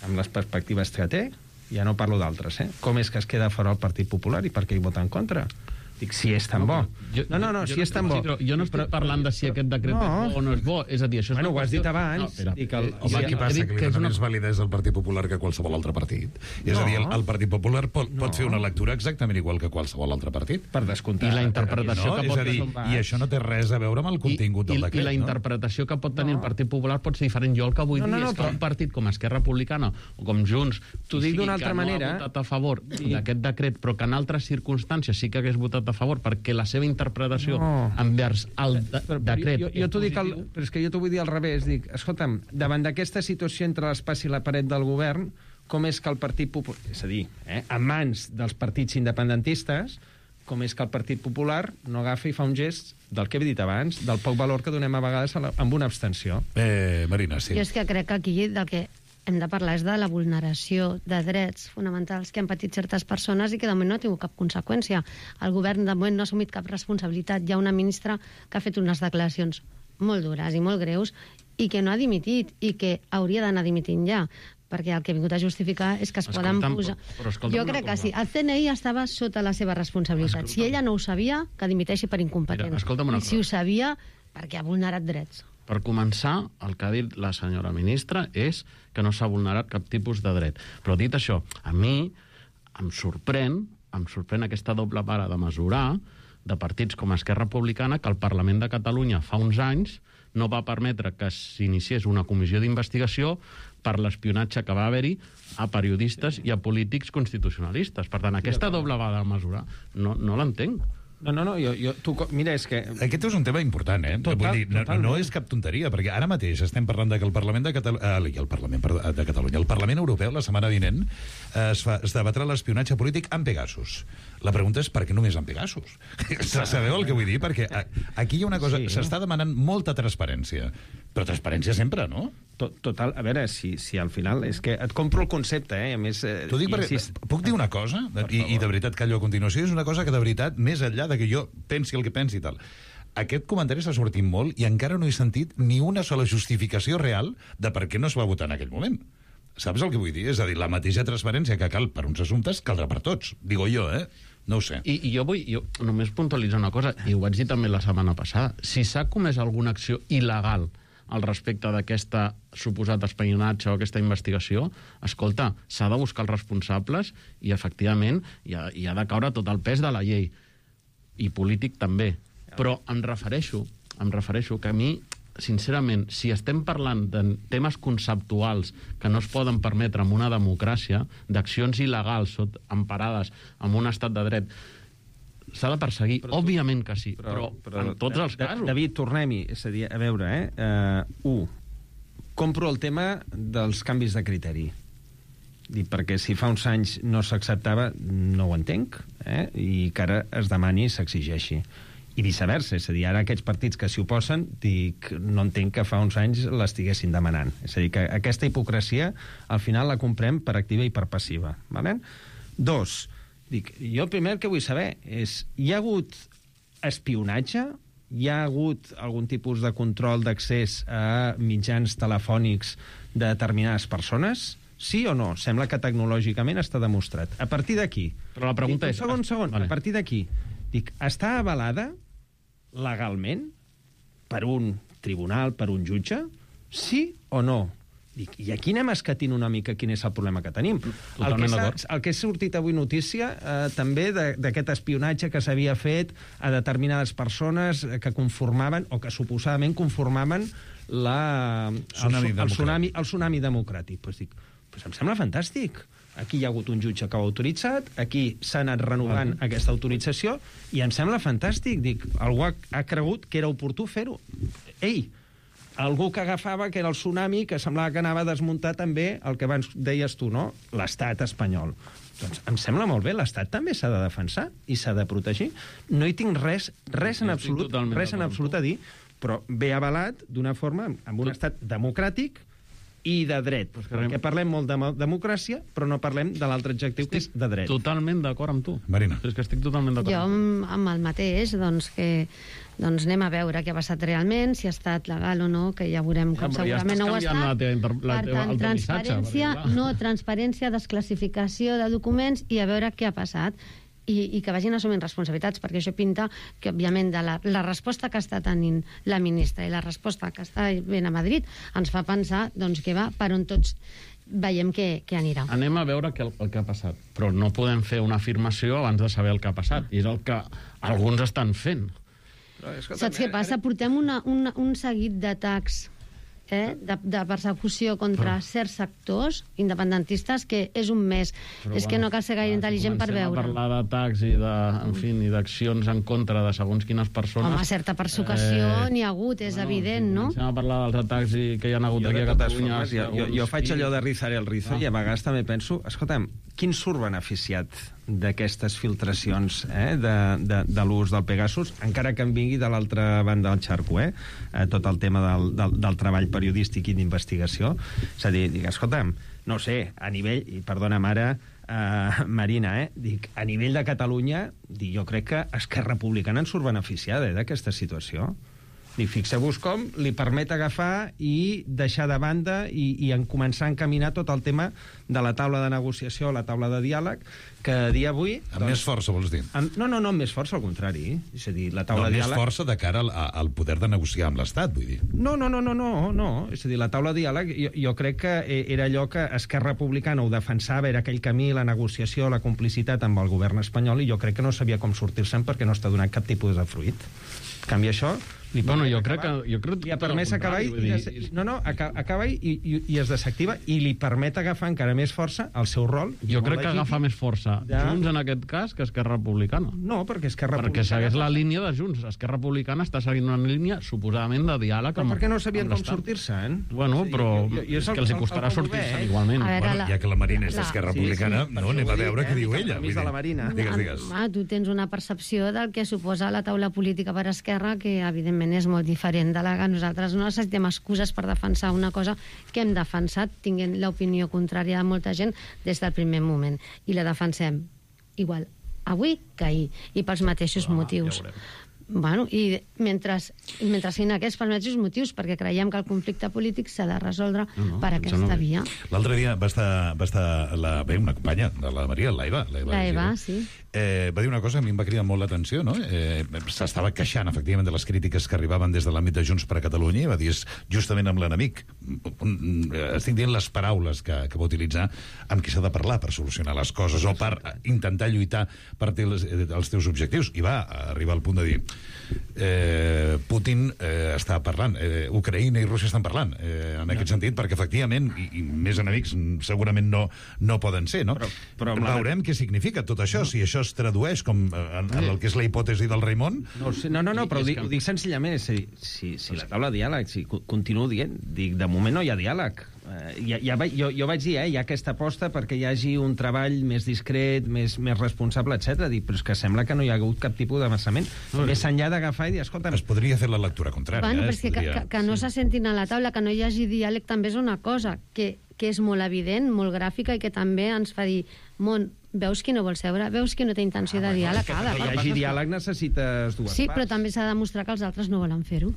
[SPEAKER 17] amb les perspectives que té? Ja no parlo d'altres, eh? Com és que es queda fora el Partit Popular i per què hi vota en contra? Dic, si és tan bo.
[SPEAKER 19] Jo,
[SPEAKER 17] no, no, no,
[SPEAKER 19] jo,
[SPEAKER 17] si és tan bo.
[SPEAKER 19] Sí, jo no estic però, parlant de si aquest decret no. és bo o no és bo. És a dir, això és
[SPEAKER 17] bueno, ho has dit abans.
[SPEAKER 19] No, espera,
[SPEAKER 17] dic el...
[SPEAKER 7] Home, aquí passa que li dona una... més validesa al Partit Popular que qualsevol altre partit. No. És a dir, el, el Partit Popular pot, no. pot fer una lectura exactament igual que qualsevol altre partit.
[SPEAKER 17] Per descomptar.
[SPEAKER 19] I la interpretació
[SPEAKER 7] no?
[SPEAKER 19] que pot...
[SPEAKER 7] És a dir, i això no té res a veure amb el contingut
[SPEAKER 19] I,
[SPEAKER 7] del decret,
[SPEAKER 19] I la
[SPEAKER 7] no?
[SPEAKER 19] interpretació que pot tenir no. el Partit Popular pot ser diferent. Jo el que vull no, no, dir no, és que però... un partit com Esquerra Republicana o com Junts,
[SPEAKER 17] t'ho dic d'una altra manera,
[SPEAKER 19] no ha votat a favor sí. d'aquest decret, però que en altres circumstàncies sí que hagués votat a favor perquè la seva interpretació no. envers el de
[SPEAKER 17] però,
[SPEAKER 19] decret
[SPEAKER 17] jo, jo t'ho dic al, però és que jo t'ho vull dir al revés. Dic, escolta'm, davant d'aquesta situació entre l'espai i la paret del govern, com és que el Partit Popular, és a dir, eh, en mans dels partits independentistes, com és que el Partit Popular no agafa i fa un gest del que he dit abans, del poc valor que donem a vegades a la, amb una abstenció.
[SPEAKER 7] Eh, Marina, sí.
[SPEAKER 18] Jo és que crec que aquí del que hem de parlar és de la vulneració de drets fonamentals que han patit certes persones i que de moment no ha tingut cap conseqüència. El govern de moment no ha assumit cap responsabilitat. Hi ha una ministra que ha fet unes declaracions molt dures i molt greus i que no ha dimitit i que hauria d'anar dimitint ja, perquè el que ha vingut a justificar és que es
[SPEAKER 19] escolta'm,
[SPEAKER 18] poden posar...
[SPEAKER 19] Però, però
[SPEAKER 18] jo crec que sí. El C N I estava sota la seva responsabilitat. Escolta'm. Si ella no ho sabia, que dimiteixi per incompetent.
[SPEAKER 19] Mira,
[SPEAKER 18] I si ho sabia, perquè ha vulnerat drets.
[SPEAKER 19] Per començar, el que ha dit la senyora ministra és que no s'ha vulnerat cap tipus de dret. Però dit això, a mi em sorprèn, em sorprèn aquesta doble vara de mesurar de partits com Esquerra Republicana que el Parlament de Catalunya fa uns anys no va permetre que s'iniciés una comissió d'investigació per l'espionatge que va haver-hi a periodistes i a polítics constitucionalistes. Per tant, aquesta doble vegada de mesura no, no l'entenc.
[SPEAKER 17] No, no, no, jo, jo, tu, mira, és que...
[SPEAKER 7] Aquest és un tema important, eh?
[SPEAKER 17] Total,
[SPEAKER 7] Vull dir, no,
[SPEAKER 17] totalment.
[SPEAKER 7] no és cap tonteria, perquè ara mateix estem parlant de que el Parlament de Catalunya... Eh, el Parlament perdó, de Catalunya, el Parlament Europeu, la setmana vinent, eh, es, fa, es debatrà l'espionatge polític amb Pegasus. La pregunta és per què només amb Pegasus? Sabeu el que vull dir? Perquè a, aquí hi ha una cosa...
[SPEAKER 17] Sí.
[SPEAKER 7] S'està demanant molta transparència. Però transparència sempre, no?
[SPEAKER 17] Total, a veure, si, si al final... És que et compro el concepte, eh? A més... Eh,
[SPEAKER 7] T'ho dic perquè...
[SPEAKER 17] insist...
[SPEAKER 7] Puc dir una cosa? I, I de veritat callo a continuació. És una cosa que de veritat, més enllà de que jo pensi el que pensi i tal, aquest comentari s'ha sortit molt i encara no he sentit ni una sola justificació real de per què no es va votar en aquell moment. Saps el que vull dir? És a dir, la mateixa transparència que cal per uns assumptes caldrà per tots. Digo jo, eh? No ho sé.
[SPEAKER 19] I, i jo vull jo només puntualitzar una cosa, i ho vaig dir també la setmana passada. Si s'ha comès alguna acció il·legal al respecte d'aquesta suposat espionatge o aquesta investigació, escolta, s'ha de buscar els responsables i, efectivament, hi ha, hi ha de caure tot el pes de la llei. I polític també. Però em refereixo, em refereixo que a mi, sincerament, si estem parlant de temes conceptuals que no es poden permetre en una democràcia, d'accions il·legals emparades en un estat de dret, s'ha de perseguir, però, òbviament que sí, però, però, però en tots els casos.
[SPEAKER 17] David, tornem-hi. És a dir, a veure, eh? Uh, un, compro el tema dels canvis de criteri. Dic, perquè si fa uns anys no s'acceptava, no ho entenc, eh? I que ara es demani i s'exigeixi. I viceversa, és a dir, ara aquests partits que s'hi oposen, dic, no entenc que fa uns anys l'estiguessin demanant. És a dir, que aquesta hipocresia al final la comprem per activa i per passiva. Vale? Dos, dic, jo el primer que vull saber és, hi ha hagut espionatge? Hi ha hagut algun tipus de control d'accés a mitjans telefònics de determinades persones? Sí o no? Sembla que tecnològicament està demostrat. A partir d'aquí...
[SPEAKER 19] Però la pregunta
[SPEAKER 17] dic,
[SPEAKER 19] és...
[SPEAKER 17] Un segon, segon. Vale. A partir d'aquí, dic, està avalada legalment per un tribunal, per un jutge? Sí o no? Dic, i aquí anem escatint una mica quin és el problema que tenim. El que, el que ha sortit avui notícia eh, també d'aquest espionatge que s'havia fet a determinades persones que conformaven, o que suposadament conformaven la,
[SPEAKER 7] tsunami
[SPEAKER 17] el, el, tsunami, el tsunami democràtic. Pues dic, pues em sembla fantàstic. Aquí hi ha hagut un jutge que ho ha autoritzat, aquí s'ha anat renovant uh -huh. aquesta autorització, i em sembla fantàstic. Dic, algú ha, ha cregut que era oportú fer-ho. Ei, algú que agafava que era el tsunami, que semblava que anava a desmuntar també el que abans deies tu, no? L'estat espanyol. Doncs em sembla molt bé, l'Estat també s'ha de defensar i s'ha de protegir. No hi tinc res, res en absolut, res en absolut a dir, però ve avalat d'una forma, amb un estat democràtic i de dret. Pues perquè parlem molt de democràcia, però no parlem de l'altre adjectiu, que és de dret.
[SPEAKER 19] Totalment d'acord amb tu.
[SPEAKER 7] Marina.
[SPEAKER 19] És que estic totalment d'acord.
[SPEAKER 18] Jo amb, amb el mateix, doncs que doncs anem a veure què ha passat realment, si ha estat legal o no, que ja veurem com
[SPEAKER 19] Ja,
[SPEAKER 18] segurament
[SPEAKER 19] ja
[SPEAKER 18] no ho ha estat.
[SPEAKER 19] La teva, inter... la
[SPEAKER 18] Per
[SPEAKER 19] teva,
[SPEAKER 18] tant,
[SPEAKER 19] el teu
[SPEAKER 18] transparència,
[SPEAKER 19] missatge, perquè,
[SPEAKER 18] no, transparència, desclassificació de documents i a veure què ha passat. I, i que vagin assumint responsabilitats, perquè això pinta que, òbviament, de la, la resposta que està tenint la ministra i la resposta que està venint a Madrid ens fa pensar doncs, que va per on tots veiem que, que anirà.
[SPEAKER 19] Anem a veure què, el, el que ha passat, però no podem fer una afirmació abans de saber el que ha passat, i és el que alguns estan fent.
[SPEAKER 18] Saps què passa? Portem una, una, un seguit d'atacs eh, de, de persecució contra però... certs sectors independentistes que és un mes. Però, és bueno, que no cal ser gaire intel·ligent per veure.
[SPEAKER 19] Comencem a parlar d'atacs i de, en fi, i d'accions en contra de segons quines persones.
[SPEAKER 18] Home, certa persecució eh... n'hi ha hagut, és bueno, evident, no?
[SPEAKER 19] Comencem a parlar dels atacs i que hi ha hagut
[SPEAKER 17] jo
[SPEAKER 19] aquí a Catalunya.
[SPEAKER 17] Formes, jo, jo, jo faig allò de rizar el rizo ah. i a vegades també penso, escolta'm, quin surt beneficiat d'aquestes filtracions eh, de, de, de l'ús del Pegasus, encara que em vingui de l'altra banda del xarco, eh? eh tot el tema del, del, del treball periodístic i d'investigació. És a dir, dic, escolta'm, no sé, a nivell, i perdona'm ara, eh, Marina, eh, dic, a nivell de Catalunya, dic, jo crec que Esquerra Republicana en surt beneficiada eh, d'aquesta situació. Dic, fixeu-vos com li permet agafar i deixar de banda i, i en començar a encaminar tot el tema de la taula de negociació, la taula de diàleg, que a dia d'avui...
[SPEAKER 7] Amb doncs, més força, vols dir?
[SPEAKER 17] Amb, no, no, no, amb més força, al contrari. És a dir, la taula
[SPEAKER 7] no,
[SPEAKER 17] de
[SPEAKER 7] diàleg...
[SPEAKER 17] diàleg...
[SPEAKER 7] més força de cara al, al poder de negociar amb l'Estat, vull dir.
[SPEAKER 17] No, no, no, no, no, no. És a dir, la taula de diàleg, jo, jo crec que era allò que Esquerra Republicana ho defensava, era aquell camí, la negociació, la complicitat amb el govern espanyol, i jo crec que no sabia com sortir-se'n perquè no està donant cap tipus de fruit. En canvi, això Bueno, jo crec que... Jo crec
[SPEAKER 21] li ha permès acabar i, i des... no, no, aca acaba i, i, i es desactiva i li permet agafar encara més força el seu rol.
[SPEAKER 19] Jo crec que agafa més força
[SPEAKER 21] ja.
[SPEAKER 19] Junts en aquest cas que Esquerra Republicana.
[SPEAKER 21] No, perquè Esquerra
[SPEAKER 19] Republicana... Perquè segueix la línia de Junts. Esquerra Republicana està seguint una línia suposadament de diàleg amb...
[SPEAKER 21] Però per què no sabien com sortir-se, eh?
[SPEAKER 19] Bueno, però jo, jo, jo és que els hi costarà sortir-se igualment.
[SPEAKER 4] Bueno, la... ja que la Marina és d'Esquerra Republicana, sí, sí, no, anem a veure què diu ella.
[SPEAKER 21] De la Marina.
[SPEAKER 4] Digues, digues.
[SPEAKER 18] Ah, tu tens una percepció del que suposa la taula política per Esquerra que, evidentment, és molt diferent de la que nosaltres no necessitem excuses per defensar una cosa que hem defensat, tinguent l'opinió contrària de molta gent des del primer moment. I la defensem igual avui que ahir, i pels mateixos ah, motius. Ja bueno, i mentre, mentre siguin aquests pels mateixos motius, perquè creiem que el conflicte polític s'ha de resoldre no, no, per aquesta no via.
[SPEAKER 7] L'altre dia va estar, va estar la, bé, una companya de la Maria, l'Eva.
[SPEAKER 18] L'Eva, sí.
[SPEAKER 7] Eh, va dir una cosa que a mi em va cridar molt l'atenció, no? Eh, S'estava queixant, efectivament, de les crítiques que arribaven des de l'àmbit de Junts per a Catalunya i va dir, és justament amb l'enemic. Estic dient les paraules que, que va utilitzar amb qui s'ha de parlar per solucionar les coses o per intentar lluitar per els, els teus objectius. I va arribar al punt de dir eh, Putin eh, està parlant, eh, Ucraïna i Rússia estan parlant, eh, en aquest sentit, perquè efectivament, i, i més enemics segurament no, no poden ser, no? Però, però veurem què significa tot això, no. Si això es tradueix com en, en el que és la hipòtesi del Raimon.
[SPEAKER 21] No, no, no, no però ho dic, ho dic senzillament, si, si, si la taula de diàleg, si continuo dient, dic, de moment no hi ha diàleg. Uh, ja, ja, jo, jo vaig dir, eh, hi ha aquesta aposta perquè hi hagi un treball més discret, més, més responsable, etcètera. Dic, però és que sembla que no hi ha hagut cap tipus d'avançament. No, més enllà d'agafar i dir, escolta...
[SPEAKER 7] Es podria fer la lectura contrària.
[SPEAKER 18] Bueno,
[SPEAKER 7] eh?
[SPEAKER 18] però és que,
[SPEAKER 7] podria...
[SPEAKER 18] que, que no sí. s'assentin a la taula, que no hi hagi diàleg, també és una cosa que, que és molt evident, molt gràfica i que també ens fa dir, món, veus qui no vol seure, veus qui no té intenció ah, de diàleg.
[SPEAKER 21] Que, que hi hagi diàleg necessites dues
[SPEAKER 18] sí,
[SPEAKER 21] parts.
[SPEAKER 18] però també s'ha de demostrar que els altres no volen fer-ho.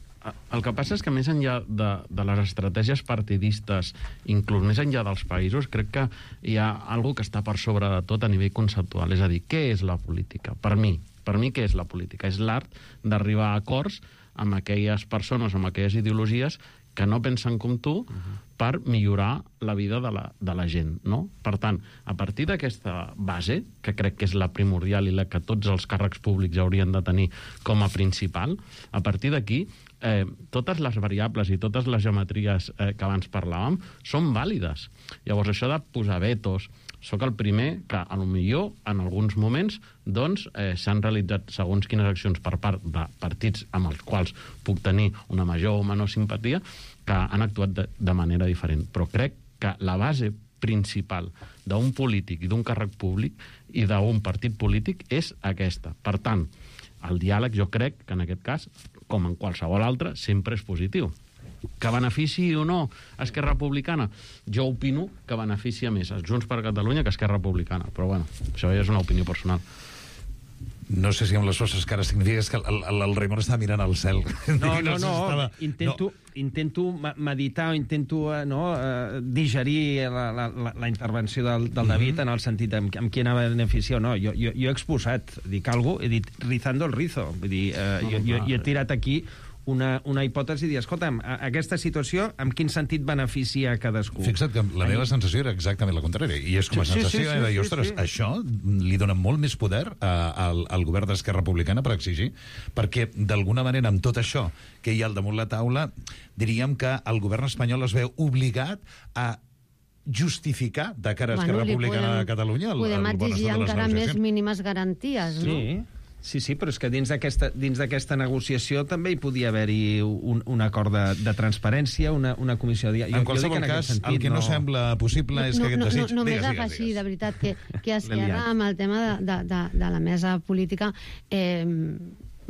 [SPEAKER 19] El que passa és que més enllà de, de les estratègies partidistes, inclús més enllà dels països, crec que hi ha algo que està per sobre de tot a nivell conceptual. És a dir, què és la política? Per mi, per mi què és la política? És l'art d'arribar a acords amb aquelles persones, amb aquelles ideologies que no pensen com tu, uh-huh. per millorar la vida de la, de la gent, no? Per tant, a partir d'aquesta base, que crec que és la primordial i la que tots els càrrecs públics haurien de tenir com a principal, a partir d'aquí, eh, totes les variables i totes les geometries eh, que abans parlàvem són vàlides. Llavors, això de posar vetos, sóc el primer que, a lo millor, en alguns moments, doncs, eh, s'han realitzat segons quines accions per part de partits amb els quals puc tenir una major o menor simpatia, que han actuat de, de manera diferent. Però crec que la base principal d'un polític i d'un càrrec públic i d'un partit polític és aquesta. Per tant, el diàleg jo crec que en aquest cas, com en qualsevol altre, sempre és positiu. Que benefici o no Esquerra Republicana? Jo opino que beneficia més a Junts per Catalunya que Esquerra Republicana, però bueno, això ja és una opinió personal.
[SPEAKER 7] No sé si amb les vostres cares significa que el, el, el Raimon està mirant al cel.
[SPEAKER 21] No, no, no, estava... intento, no. intento meditar o intento no, uh, digerir la, la, la intervenció del, del David mm-hmm. en el sentit amb, amb qui anava a beneficiar o no. Jo, jo, jo he exposat, dic alguna cosa, he dit rizando el rizo. Vull dir, uh, no, jo, jo, jo he tirat aquí una, una hipòtesi i dir, escolta'm, aquesta situació, en quin sentit beneficia a cadascú?
[SPEAKER 7] Fixa't que la meva sensació era exactament la contrària, i és com a sí, sensació, sí, sí, de dir, ostres, sí, sí. això li dona molt més poder a, al, al govern d'Esquerra Republicana per exigir, perquè d'alguna manera amb tot això que hi ha al damunt la taula, diríem que el govern espanyol es veu obligat a justificar de cara a Esquerra bueno, Republicana podem, de Catalunya el,
[SPEAKER 18] podem
[SPEAKER 7] el
[SPEAKER 18] exigir encara més mínimes garanties, no?
[SPEAKER 21] Sí. Sí, sí, però és que dins d'aquesta dins d'aquesta negociació també hi podia haver-hi un, un acord de, de transparència, una, una comissió de...
[SPEAKER 7] Jo, en qualsevol jo cas, sentit, el que no, no sembla possible és
[SPEAKER 18] no,
[SPEAKER 7] que aquest
[SPEAKER 18] no,
[SPEAKER 7] desig...
[SPEAKER 18] No, no, només afegir, de veritat, que, que Esquerra, amb el tema de, de, de, de la mesa política, eh,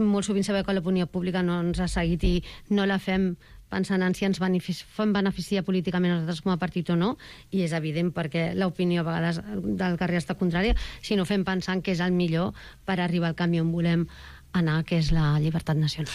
[SPEAKER 18] molt sovint sabeu que l'opinió pública no ens ha seguit i no la fem pensant en si ens beneficia, fem beneficia políticament a nosaltres com a partit o no, i és evident perquè l'opinió a vegades del carrer està contrària, sinó fem pensant que és el millor per arribar al canvi on volem anar, que és la llibertat nacional.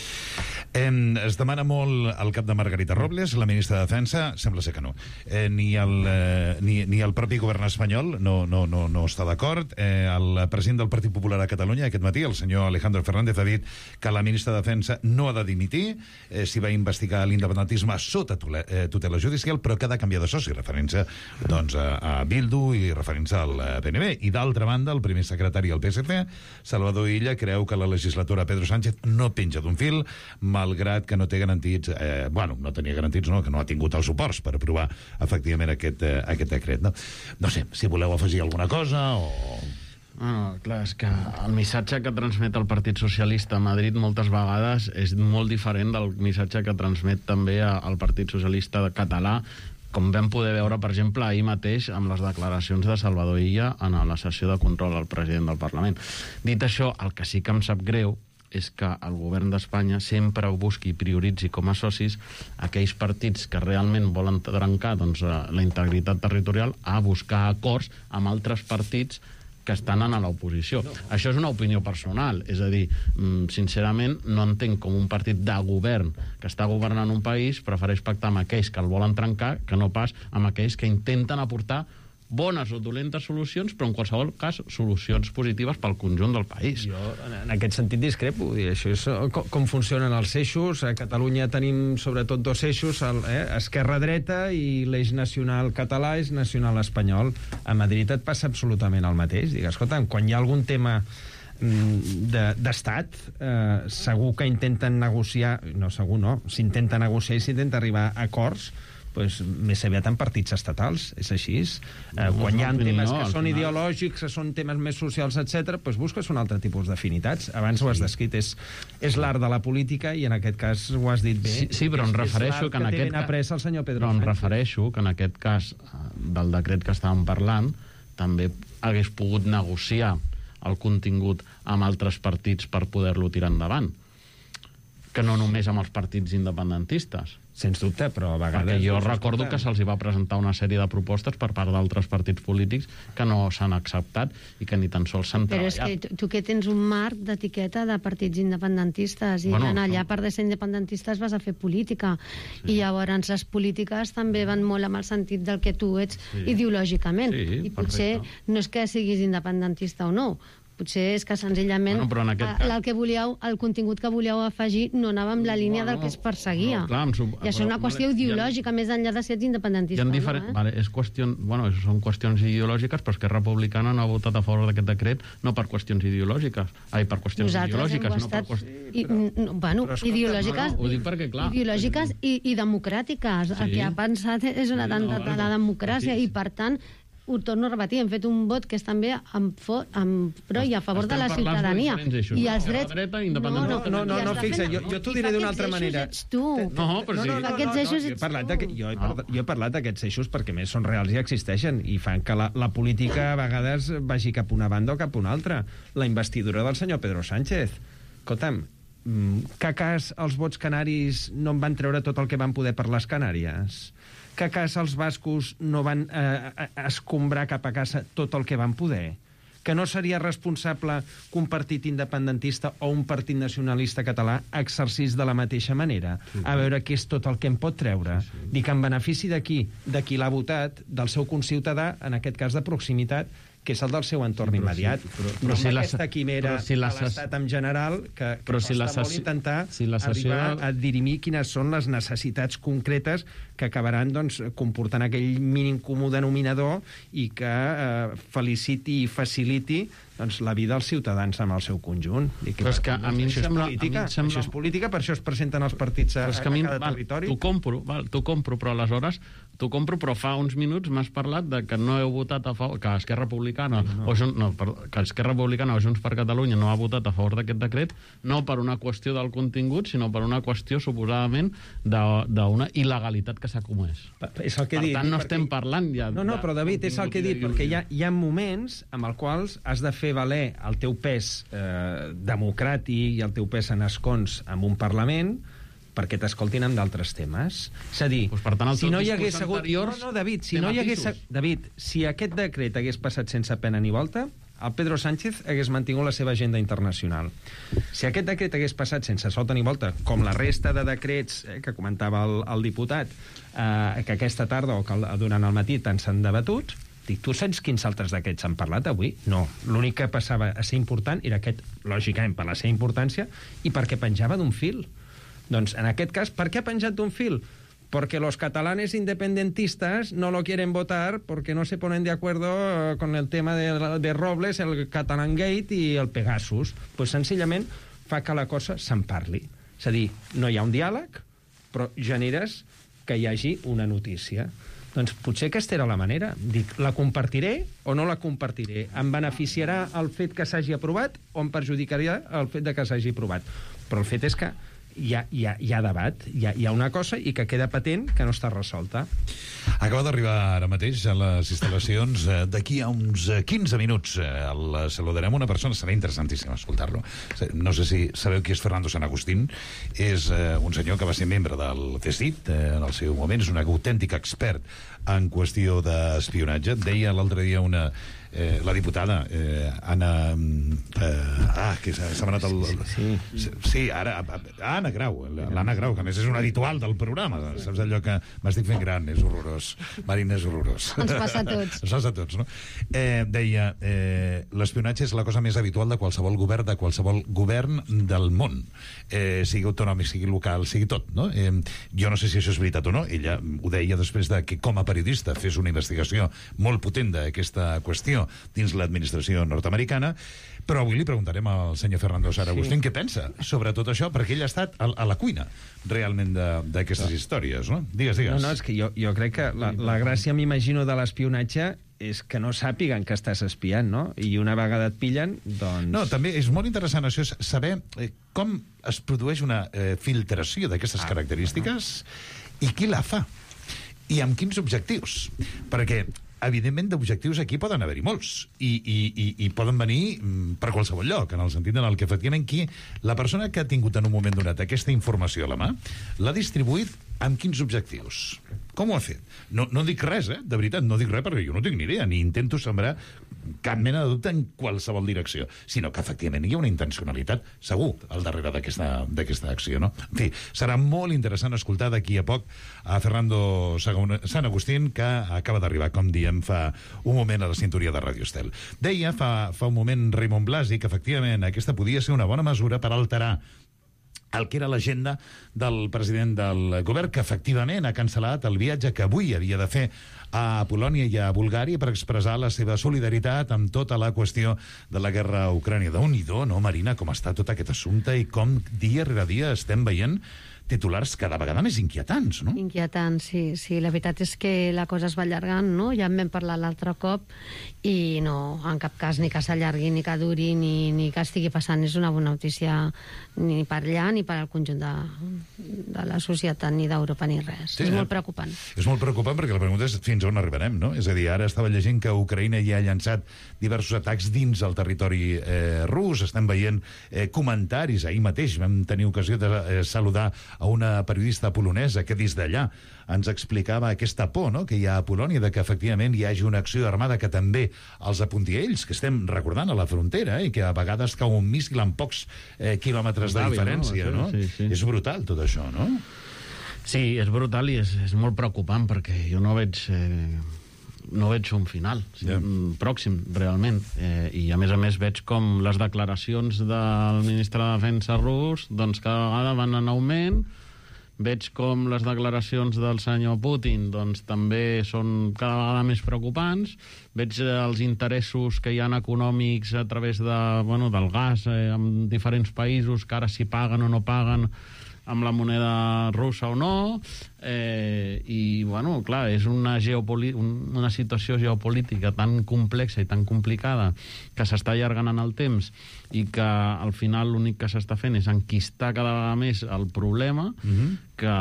[SPEAKER 7] Eh, es demana molt el cap de Margarita Robles, la ministra de Defensa, sembla ser que no. Eh, ni, el, eh, ni, ni el propi govern espanyol no, no, no, no està d'acord. Eh, el president del Partit Popular a Catalunya aquest matí, el senyor Alejandro Fernández, ha dit que la ministra de Defensa no ha de dimitir, eh, s'hi va investigar l'independentisme sota tutela, eh, tutela judicial, però que ha de canviar de soci, referència doncs, a, a Bildu i referència al P N B. I d'altra banda, el primer secretari del P S C, Salvador Illa, creu que la legislatura candidatura a Pedro Sánchez no penja d'un fil, malgrat que no té garantits, eh, bueno, no tenia garantits, no, que no ha tingut els suports per aprovar efectivament aquest, eh, aquest decret. No? no sé, si voleu afegir alguna cosa o...
[SPEAKER 19] Bueno, clar, és que el missatge que transmet el Partit Socialista a Madrid moltes vegades és molt diferent del missatge que transmet també el Partit Socialista català, com vam poder veure, per exemple, ahir mateix amb les declaracions de Salvador Illa en la sessió de control al president del Parlament. Dit això, el que sí que em sap greu és que el govern d'Espanya sempre busqui i prioritzi com a socis aquells partits que realment volen trencar doncs, la integritat territorial a buscar acords amb altres partits que estan a l'oposició. No. Això és una opinió personal, és a dir, sincerament no entenc com un partit de govern que està governant un país prefereix pactar amb aquells que el volen trencar que no pas amb aquells que intenten aportar bones o dolentes solucions, però en qualsevol cas solucions positives pel conjunt del país.
[SPEAKER 21] Jo en aquest sentit discrepo. Això és com, com funcionen els eixos. A Catalunya tenim sobretot dos eixos, el, eh, esquerra-dreta, i l'eix nacional català és nacional espanyol. A Madrid et passa absolutament el mateix. Digues, escolta, quan hi ha algun tema d'estat, de, eh, segur que intenten negociar, no segur no, s'intenta negociar i s'intenta arribar a acords, pues, més aviat en partits estatals, és així. Eh, quan hi ha temes que són ideològics, que són temes més socials, etcètera, pues busques un altre tipus d'afinitats. Abans ho has descrit, és, és l'art de la política, i en aquest cas ho has dit bé.
[SPEAKER 19] Sí, sí però em refereixo que en aquest
[SPEAKER 21] cas... el senyor Pedro
[SPEAKER 19] però em
[SPEAKER 21] Sánchez.
[SPEAKER 19] refereixo que en aquest cas del decret que estàvem parlant també hagués pogut negociar el contingut amb altres partits per poder-lo tirar endavant, que no només amb els partits independentistes.
[SPEAKER 21] Sens dubte, però a vegades...
[SPEAKER 19] Perquè jo recordo que se'ls va presentar una sèrie de propostes per part d'altres partits polítics que no s'han acceptat i que ni tan sols s'han
[SPEAKER 18] Però
[SPEAKER 19] treballat.
[SPEAKER 18] és que tu, tu que tens un marc d'etiqueta de partits independentistes, i
[SPEAKER 19] Bueno,
[SPEAKER 18] bueno, allà, a part de ser independentistes, vas a fer política. Sí. I llavors les polítiques també van molt amb el sentit del que tu ets
[SPEAKER 19] Sí.
[SPEAKER 18] ideològicament.
[SPEAKER 19] Sí,
[SPEAKER 18] I potser
[SPEAKER 19] perfecte.
[SPEAKER 18] no és que siguis independentista o no, potser és que senzillament
[SPEAKER 19] Bueno, però en aquest
[SPEAKER 18] eh,
[SPEAKER 19] cas-
[SPEAKER 18] el, que volíeu, el contingut que volíeu afegir no anava amb la línia del que es perseguia.
[SPEAKER 19] No, clar, em sub-
[SPEAKER 18] I això és una
[SPEAKER 19] però,
[SPEAKER 18] qüestió
[SPEAKER 19] vale,
[SPEAKER 18] ideològica, més enllà de ser
[SPEAKER 19] Hi
[SPEAKER 18] independentista.
[SPEAKER 19] ha diferent,
[SPEAKER 18] no, eh?
[SPEAKER 19] vale, és qüestió, bueno, són qüestions ideològiques, però Esquerra Republicana no ha votat a favor d'aquest decret no per qüestions ideològiques, ai, per qüestions
[SPEAKER 18] Nosaltres hem
[SPEAKER 19] ideològiques, no per
[SPEAKER 18] estat...
[SPEAKER 19] qüestions...
[SPEAKER 18] I, no, bueno,
[SPEAKER 19] Però escolta,
[SPEAKER 18] ideològiques,
[SPEAKER 19] no, no, ho dic perquè, clar,
[SPEAKER 18] ideològiques i, i democràtiques.
[SPEAKER 19] Sí.
[SPEAKER 18] El que ha pensat és un atemptat
[SPEAKER 19] no,
[SPEAKER 18] a la democràcia,
[SPEAKER 19] sí, sí.
[SPEAKER 18] i per tant ho torno a repetir, hem fet un vot que és també amb, for, amb pro i a favor de la
[SPEAKER 19] Estem parlant
[SPEAKER 18] ciutadania.
[SPEAKER 19] de diferents eixos,
[SPEAKER 18] I
[SPEAKER 19] no?
[SPEAKER 18] els
[SPEAKER 19] Esquerra
[SPEAKER 18] drets...
[SPEAKER 19] dreta,
[SPEAKER 21] No,
[SPEAKER 19] independentista...
[SPEAKER 21] no, no, no,
[SPEAKER 18] I
[SPEAKER 21] no
[SPEAKER 18] està
[SPEAKER 21] fixa,
[SPEAKER 18] fent-
[SPEAKER 21] jo, jo t'ho
[SPEAKER 18] i
[SPEAKER 21] diré
[SPEAKER 18] fa
[SPEAKER 21] d'una
[SPEAKER 18] aquests
[SPEAKER 21] altra
[SPEAKER 18] eixos
[SPEAKER 21] manera.
[SPEAKER 18] ets tu.
[SPEAKER 19] No, però
[SPEAKER 21] no,
[SPEAKER 19] sí.
[SPEAKER 21] no, no,
[SPEAKER 18] Aquests
[SPEAKER 21] no,
[SPEAKER 18] eixos
[SPEAKER 21] no, jo he
[SPEAKER 18] ets
[SPEAKER 21] parlat
[SPEAKER 18] tu.
[SPEAKER 21] de, jo, he parlat, jo he parlat d'aquests eixos perquè més són reals i existeixen i fan que la, la política a vegades vagi cap a una banda o cap a una altra. La investidura del senyor Pedro Sánchez. Escolta'm, mm, que a cas els vots canaris no en van treure tot el que van poder per les Canàries? Que a cas els bascos no van eh, escombrar cap a casa tot el que van poder? Que no seria responsable que un partit independentista o un partit nacionalista català exercís de la mateixa manera? A veure què és tot el que en pot treure. Dic, en benefici de qui? De qui l'ha votat, del seu conciutadà, en aquest cas de proximitat, que és el del seu entorn
[SPEAKER 19] Sí, però
[SPEAKER 21] immediat.
[SPEAKER 19] sí, però-
[SPEAKER 21] no
[SPEAKER 19] però si
[SPEAKER 21] amb
[SPEAKER 19] la-
[SPEAKER 21] aquesta quimera
[SPEAKER 19] però si la
[SPEAKER 21] de
[SPEAKER 19] ses-
[SPEAKER 21] l'Estat en general, que, que
[SPEAKER 19] Però si la
[SPEAKER 21] costa molt
[SPEAKER 19] sessió-
[SPEAKER 21] intentar
[SPEAKER 19] si la sessió
[SPEAKER 21] arribar
[SPEAKER 19] del-
[SPEAKER 21] a dirimir quines són les necessitats concretes que acabaran doncs, comportant aquell mínim comú denominador i que eh, feliciti i faciliti doncs, la vida dels ciutadans amb el seu conjunt. Dic,
[SPEAKER 19] Però és que
[SPEAKER 21] per tant,
[SPEAKER 19] a mi em
[SPEAKER 21] això és
[SPEAKER 19] sembla-
[SPEAKER 21] política,
[SPEAKER 19] a mi em sembla-
[SPEAKER 21] això és política, per això es presenten els partits a,
[SPEAKER 19] Però és que a
[SPEAKER 21] a
[SPEAKER 19] mi,
[SPEAKER 21] cada
[SPEAKER 19] val,
[SPEAKER 21] territori.
[SPEAKER 19] t'ho compro, val, t'ho compro, però aleshores t'ho compro, però fa uns minuts m'has parlat de que no heu votat a favor, que Esquerra Republicana no. o Jun, no, per, que Esquerra Republicana o Junts per Catalunya no ha votat a favor d'aquest decret, no per una qüestió del contingut, sinó per una qüestió suposadament de- d'una il·legalitat que s'ha comès.
[SPEAKER 21] És el que he
[SPEAKER 19] per
[SPEAKER 21] dit,
[SPEAKER 19] tant, no
[SPEAKER 21] perquè-
[SPEAKER 19] estem parlant ja...
[SPEAKER 21] No, no,
[SPEAKER 19] de
[SPEAKER 21] però David, és el que he dit,
[SPEAKER 19] contingut
[SPEAKER 21] perquè hi ha, hi ha moments amb els quals has de fer valer el teu pes eh, democràtic i el teu pes en escons en un Parlament perquè t'escoltin en d'altres temes. És a dir,
[SPEAKER 19] Pues, per tant, els
[SPEAKER 21] si
[SPEAKER 19] teus
[SPEAKER 21] no hi
[SPEAKER 19] discurs
[SPEAKER 21] hagués hagut...
[SPEAKER 19] anteriors
[SPEAKER 21] No, no, David, si
[SPEAKER 19] té
[SPEAKER 21] no hi hagués...
[SPEAKER 19] matisos.
[SPEAKER 21] David, si aquest decret hagués passat sense pena ni volta, el Pedro Sánchez hagués mantingut la seva agenda internacional. Si aquest decret hagués passat sense sota ni volta, com la resta de decrets eh, que comentava el, el diputat, eh, que aquesta tarda o que el- durant el matí tant s'han debatut, dic, tu saps quins altres decrets s'han parlat avui? No. L'únic que passava a ser important era aquest, lògicament, per la seva importància i perquè penjava d'un fil. Doncs, en aquest cas, per què ha penjat d'un fil? Porque los catalanes independentistas no lo quieren votar porque no se ponen de acuerdo eh, con el tema de, de Robles, el Catalan Gate y el Pegasus. Pues senzillament fa que la cosa se'n parli. És a dir, no hi ha un diàleg, però generes que hi hagi una notícia. Doncs potser aquesta era la manera. Dic, la compartiré o no la compartiré? Em beneficiarà el fet que s'hagi aprovat o em perjudicaria el fet de que s'hagi aprovat? Però el fet és que hi ha, hi ha, hi ha debat, hi ha, hi ha una cosa i que queda patent que no està resolta.
[SPEAKER 7] Acaba d'arribar ara mateix a les instal·lacions. D'aquí a uns quinze minuts el saludarem una persona, serà interessantíssim escoltar-lo. No sé si sabeu qui és Fernando San Agustín. És eh, un senyor que va ser membre del C S I T eh, en el seu moment, és un autèntic expert en qüestió d'espionatge. Deia l'altre dia una... Eh, la diputada eh, Anna eh, ah, que s'ha anat el, el, sí, sí. sí, ara Anna Grau, l'Anna Grau, que a més és un habitual del programa, saps allò que m'estic fent gran, és horrorós, Marina, és horrorós,
[SPEAKER 11] ens passa a tots,
[SPEAKER 7] ens passa a tots, no? Eh, deia eh, l'espionatge és la cosa més habitual de qualsevol govern, de qualsevol govern del món, eh, sigui autonòmic, sigui local, sigui tot, no? Eh, jo no sé si això és veritat o no. Ella ho deia després de que com a periodista fes una investigació molt potent d'aquesta qüestió dins l'administració nord-americana, però avui li preguntarem al senyor Fernando San Agustín sí. què pensa sobre tot això, perquè ell ha estat a, a la cuina realment d'aquestes no. històries, no? Digues, digues.
[SPEAKER 21] No, no, és que jo, jo crec que la, la gràcia, m'imagino, de l'espionatge és que no sàpiguen que estàs espiant, no? I una vegada et pillen, doncs...
[SPEAKER 7] No, també és molt interessant això, saber eh, com es produeix una eh, filtració d'aquestes ah, característiques bueno. i qui la fa, i amb quins objectius. Perquè evidentment, d'objectius aquí poden haver-hi molts i, i, i, i poden venir per qualsevol lloc, en el sentit en el que efectivament qui, la persona que ha tingut en un moment donat aquesta informació a la mà, l'ha distribuït amb quins objectius? Com ho ha fet? No, no dic res, eh? De veritat, no dic res perquè jo no tinc ni idea, ni intento sembrar cap mena de dubte en qualsevol direcció, sinó que efectivament hi ha una intencionalitat segur al darrere d'aquesta acció, no? En fi, serà molt interessant escoltar d'aquí a poc a Fernando San Agustín, que acaba d'arribar, com diem, fa un moment a la sintonia de Ràdio Estel. Deia fa, fa un moment Raimon Blasi que efectivament aquesta podia ser una bona mesura per alterar el que era l'agenda del president del govern, que efectivament ha cancel·lat el viatge que avui havia de fer a Polònia i a Bulgària per expressar la seva solidaritat amb tota la qüestió de la guerra a Ucrània. Déu-n'hi-do, no, Marina, com està tot aquest assumpte i com dia rere dia estem veient titulars cada vegada més inquietants, no?
[SPEAKER 18] Inquietants, sí, sí. La veritat és que la cosa es va allargant, no? Ja en vam parlar l'altre cop i no, en cap cas ni que s'allargui, ni que duri, ni, ni que estigui passant. És una bona notícia ni per allà ni per al conjunt de, de la societat, ni d'Europa, ni res. Sí, és molt preocupant.
[SPEAKER 7] És molt preocupant perquè la pregunta és fins on arribarem, no? És a dir, ara estava llegint que Ucraïna ja ha llançat diversos atacs dins el territori eh, rus, estem veient eh, comentaris. Ahir mateix vam tenir ocasió de eh, saludar a una periodista polonesa que des d'allà ens explicava aquesta por, no?, que hi ha a Polònia de que efectivament hi hagi una acció armada que també els apunti a ells, que estem recordant a la frontera, eh, i que a vegades cau un míssil amb pocs eh, quilòmetres de diferència, no? Sí, sí. És brutal tot això, no?
[SPEAKER 19] Sí, és brutal i és, és molt preocupant perquè jo no veig... Eh... no veig un final yeah. pròxim, realment. Eh, I, a més a més, veig com les declaracions del ministre de Defensa rus doncs cada vegada van en augment. Veig com les declaracions del senyor Putin doncs també són cada vegada més preocupants. Veig els interessos que hi ha econòmics a través de, bueno, del gas eh, en diferents països, que ara si paguen o no paguen amb la moneda russa o no, eh, i, bueno, clar, és una, una situació geopolítica tan complexa i tan complicada que s'està allargant en el temps i que, al final, l'únic que s'està fent és enquistar cada vegada més el problema, mm-hmm. que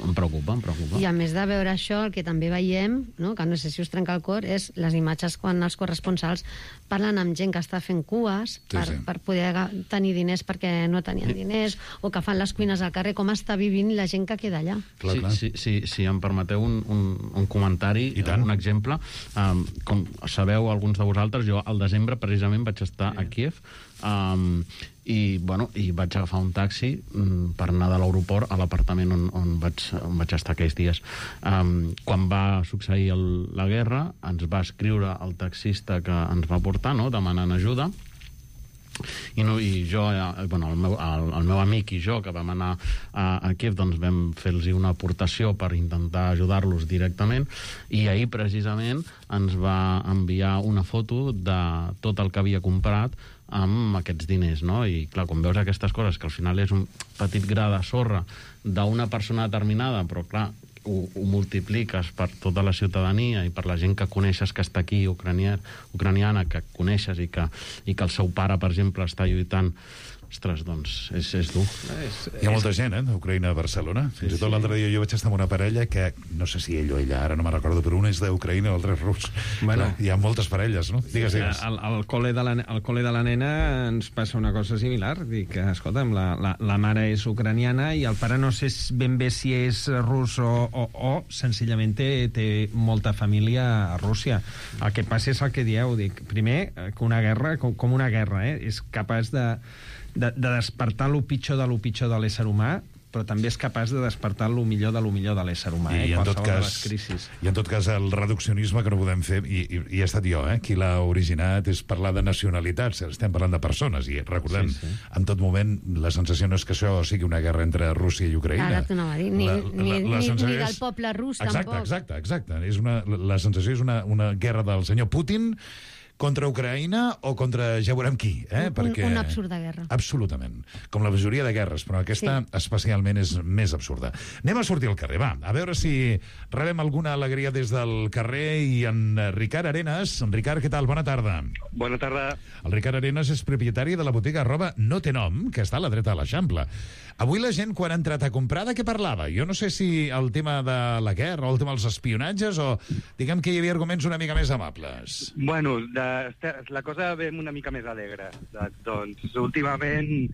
[SPEAKER 19] em preocupa, em preocupa.
[SPEAKER 18] I a més de veure això, el que també veiem, no?, que no sé si us trenca el cor, és les imatges quan els corresponsals parlen amb gent que està fent cues sí, per, sí. per poder tenir diners perquè no tenien diners, o que fan les cuines al carrer, com està vivint la gent que queda allà.
[SPEAKER 19] Clar, sí, clar. Sí, sí, si em permeteu un, un, un comentari, un exemple. Um, com sabeu alguns de vosaltres, jo al desembre precisament vaig estar sí. a Kíev, um, i, bueno, i vaig agafar un taxi um, per anar de l'aeroport a l'apartament on, on, vaig, on vaig estar aquells dies. Um, quan va succeir el, la guerra, ens va escriure el taxista que ens va portar, no?, demanant ajuda, I, no, i jo, eh, bueno, el meu, el, el meu amic i jo, que vam anar a, a Kíev, doncs vam fer-los una aportació per intentar ajudar-los directament, i ahir precisament ens va enviar una foto de tot el que havia comprat amb aquests diners, no? I clar, quan veus aquestes coses, que al final és un petit gra de sorra d'una persona determinada, però clar, ho, ho multipliques per tota la ciutadania i per la gent que coneixes que està aquí, ucranià, ucraniana, que coneixes i que, i que el seu pare, per exemple, està lluitant. Ostres, doncs, és, és dur.
[SPEAKER 7] És, Hi ha molta gent, eh, d'Ucraïna a Barcelona. Fins i tot l'altre dia jo vaig estar amb una parella que, no sé si ell o ella, ara no me'n recordo, però un és d'Ucraïna i l'altre és rus.
[SPEAKER 21] Bueno.
[SPEAKER 7] Clar, hi ha moltes parelles, no? Digues, digues.
[SPEAKER 21] Al, al, col·le de la, al col·le de la nena ens passa una cosa similar. Dic que, escolta'm, la, la, la mare és ucraniana i el pare no sé ben bé si és rus o, o, o senzillament té, té molta família a Rússia. El que passa és el que dieu. Dic, primer, que una guerra, com, com una guerra, eh, és capaç de... De, de despertar lo pitjor de lo pitjor de l'ésser humà, però també és capaç de despertar lo millor de lo millor de l'ésser humà, eh?
[SPEAKER 7] I, en tot
[SPEAKER 21] Qualsevol de les
[SPEAKER 7] cas,
[SPEAKER 21] crisis.
[SPEAKER 7] I en tot cas el reduccionisme que no podem fer, i, i, i he estat jo, eh, qui l'ha originat, és parlar de nacionalitats, estem parlant de persones, i recordem, sí, sí. en tot moment la sensació no és que això sigui una guerra entre Rússia i Ucraïna.
[SPEAKER 18] Ara t'ho anava a dir, ni,
[SPEAKER 7] La-
[SPEAKER 18] ni,
[SPEAKER 7] la- la
[SPEAKER 18] ni,
[SPEAKER 7] sensació
[SPEAKER 18] ni del
[SPEAKER 7] és-
[SPEAKER 18] poble rus,
[SPEAKER 7] Exacte,
[SPEAKER 18] tampoc.
[SPEAKER 7] exacte, exacte. És una, la sensació és una, una guerra del senyor Putin contra Ucraïna o contra ja veurem qui, eh?
[SPEAKER 18] Un,
[SPEAKER 7] Perquè...
[SPEAKER 18] una absurda guerra.
[SPEAKER 7] Absolutament. Com la majoria de guerres, però aquesta sí. especialment és més absurda. Anem a sortir al carrer, va. A veure si rebem alguna alegria des del carrer i en Ricard Arenas. En Ricard, què tal? Bona tarda.
[SPEAKER 2] Bona tarda.
[SPEAKER 7] El Ricard Arenas és propietari de la botiga arroba No té nom, que està a la dreta de l'Eixample. Avui la gent, quan ha entrat a comprar, de què parlava? Jo no sé si el tema de la guerra o el tema dels espionatges o diguem que hi havia arguments una mica més amables.
[SPEAKER 2] Bueno, de, la cosa ve una mica més alegre. De, doncs, últimament,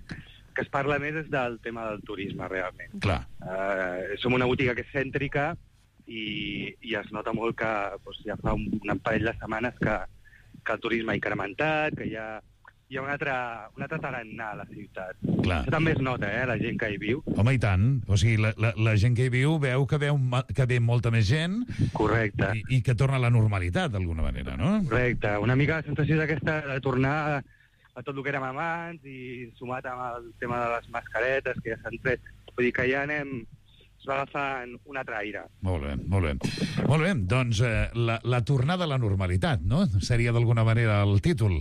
[SPEAKER 2] que es parla més és del tema del turisme, realment.
[SPEAKER 7] Clar.
[SPEAKER 2] Uh, som una botiga que és cèntrica i, i es nota molt que doncs, ja fa un, un parell de setmanes que, que el turisme ha incrementat, que hi ha, hi ha un altre, un altre tarannà a la ciutat.
[SPEAKER 7] Clar.
[SPEAKER 2] Això també es nota, eh, la gent que hi viu.
[SPEAKER 7] Home, i tant. O sigui, la, la, la gent que hi viu veu que, veu, ma- que ve molta més gent.
[SPEAKER 2] Correcte.
[SPEAKER 7] I, i que torna a la normalitat, d'alguna manera, no?
[SPEAKER 2] Correcte. Una mica la sensació d'aquesta de tornar a, a tot el que érem abans i sumat amb el tema de les mascaretes que ja s'han tret. Vull dir que ja anem... es va agafant un altre aire.
[SPEAKER 7] Molt bé, molt bé. Molt bé, doncs eh, la, la tornada a la normalitat, no? Seria d'alguna manera el títol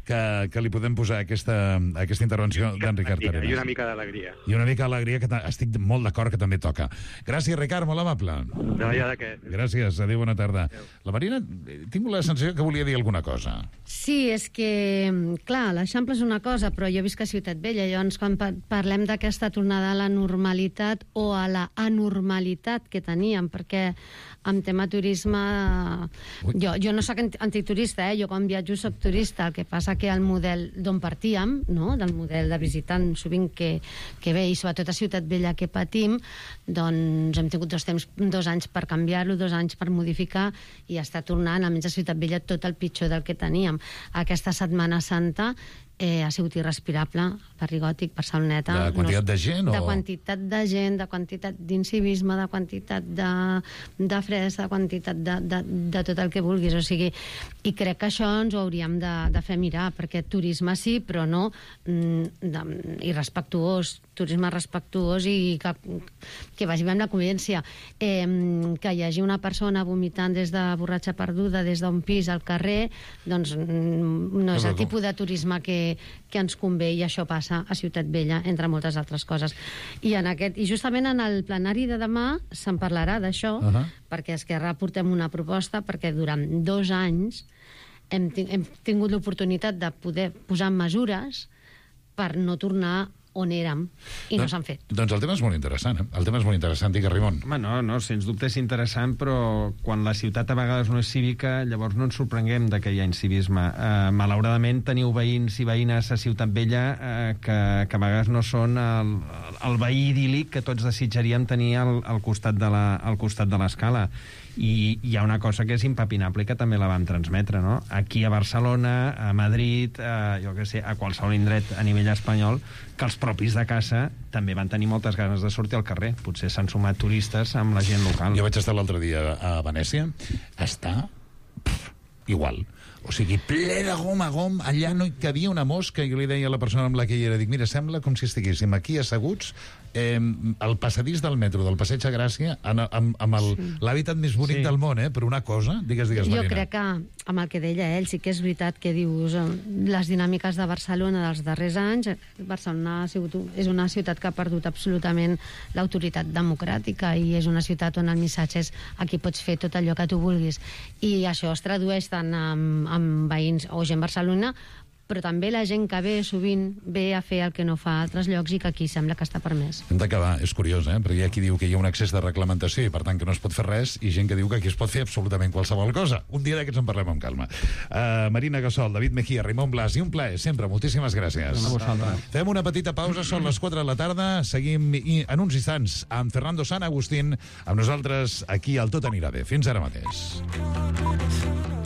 [SPEAKER 7] que, que li podem posar a aquesta, a aquesta intervenció d'en Ricard
[SPEAKER 2] I
[SPEAKER 7] Arenas.
[SPEAKER 2] una mica d'alegria.
[SPEAKER 7] I una mica d'alegria, que ta- estic molt d'acord que també toca. Gràcies, Ricard, molt amable.
[SPEAKER 2] No hi ha de què.
[SPEAKER 7] Gràcies, adéu, bona tarda. La Marina, eh, tinc la sensació que volia dir alguna cosa.
[SPEAKER 18] Sí, és que, clar, l'Eixample és una cosa, però jo visc a Ciutat Vella, llavors quan pa- parlem d'aquesta tornada a la normalitat o a la anormalitat que teníem, perquè en tema turisme... Jo, jo no sóc anti- antiturista, eh? Jo quan viatjo soc turista, el que passa que el model d'on partíem, no? Del model de visitant sovint que, que ve, i sobretot a Ciutat Vella que patim, doncs hem tingut dos, temps, dos anys per canviar-lo, dos anys per modificar, i està tornant, almenys a Ciutat Vella, tot el pitjor del que teníem. Aquesta Setmana Santa eh, ha sigut irrespirable, Perdigòtic, Barceloneta.
[SPEAKER 7] De quantitat de gent, o-
[SPEAKER 18] De quantitat de gent, de quantitat d'incivisme, de quantitat de, de fresa, de quantitat de, de, de tot el que vulguis. O sigui, i crec que això ens ho hauríem de, de fer mirar, perquè turisme sí, però no mm, de, irrespectuós, turisme respectuós i que, que vagi bé amb la convivència. Eh, que hi hagi una persona vomitant des de borratxa perduda, des d'un pis al carrer, doncs mm, no és el tipus de turisme que, que ens convé, i això passa a Ciutat Vella, entre moltes altres coses. I, en aquest, i justament en el plenari de demà se'n parlarà d'això, uh -huh. perquè a Esquerra portem una proposta, perquè durant dos anys hem, ting hem tingut l'oportunitat de poder posar mesures per no tornar on érem, i no
[SPEAKER 7] Doncs-
[SPEAKER 18] s'han fet.
[SPEAKER 7] Doncs el tema és molt interessant, eh? El tema és molt interessant, digues, Ramon.
[SPEAKER 21] Home, no, no, sens dubte és interessant, però quan la ciutat a vegades no és cívica, llavors no ens sorprenguem de que hi ha incivisme. Uh, malauradament teniu veïns i veïnes a Ciutat Vella uh, que, que a vegades no són el, el veí idíl·lic que tots desitjaríem tenir al, al costat de la, al costat de l'escala. I hi ha una cosa que és impepinable i que també la vam transmetre, no? Aquí a Barcelona, a Madrid, a, jo què sé, a qualsevol indret a nivell espanyol, que els propis de casa també van tenir moltes ganes de sortir al carrer. Potser s'han sumat turistes amb la gent local.
[SPEAKER 7] Jo vaig estar l'altre dia a Venècia. Està pff, igual. O sigui, ple de gom a gom, allà no hi cabia una mosca, i jo li deia a la persona amb la que hi era, dic, mira, sembla com si estiguéssim aquí asseguts eh, al passadís del metro, del Passeig de Gràcia, amb, amb, amb el, sí. l'hàbitat més bonic sí. del món, eh? Per una cosa, digues, digues, Marina.
[SPEAKER 18] Jo crec que, amb el que deia ell, sí que és veritat que dius les dinàmiques de Barcelona dels darrers anys, Barcelona ha sigut, és una ciutat que ha perdut absolutament l'autoritat democràtica i és una ciutat on el missatge és aquí pots fer tot allò que tu vulguis. I això es tradueix tant amb, amb veïns o gent Barcelona, però també la gent que ve sovint ve a fer el que no fa a altres llocs i que aquí sembla que està permès.
[SPEAKER 7] Hem d'acabar, és curiós, eh? Perquè hi ha qui diu que hi ha un excés de reglamentació i per tant que no es pot fer res, i gent que diu que aquí es pot fer absolutament qualsevol cosa. Un dia d'aquests en parlem amb calma. Uh, Marina Gassol, David Mejía, Raimon Blas, i un plaer, sempre, moltíssimes gràcies. Fem una petita pausa, són les quatre de la tarda, seguim i, en uns instants amb Fernando San Agustín, amb nosaltres aquí al Tot anirà bé. Fins ara mateix.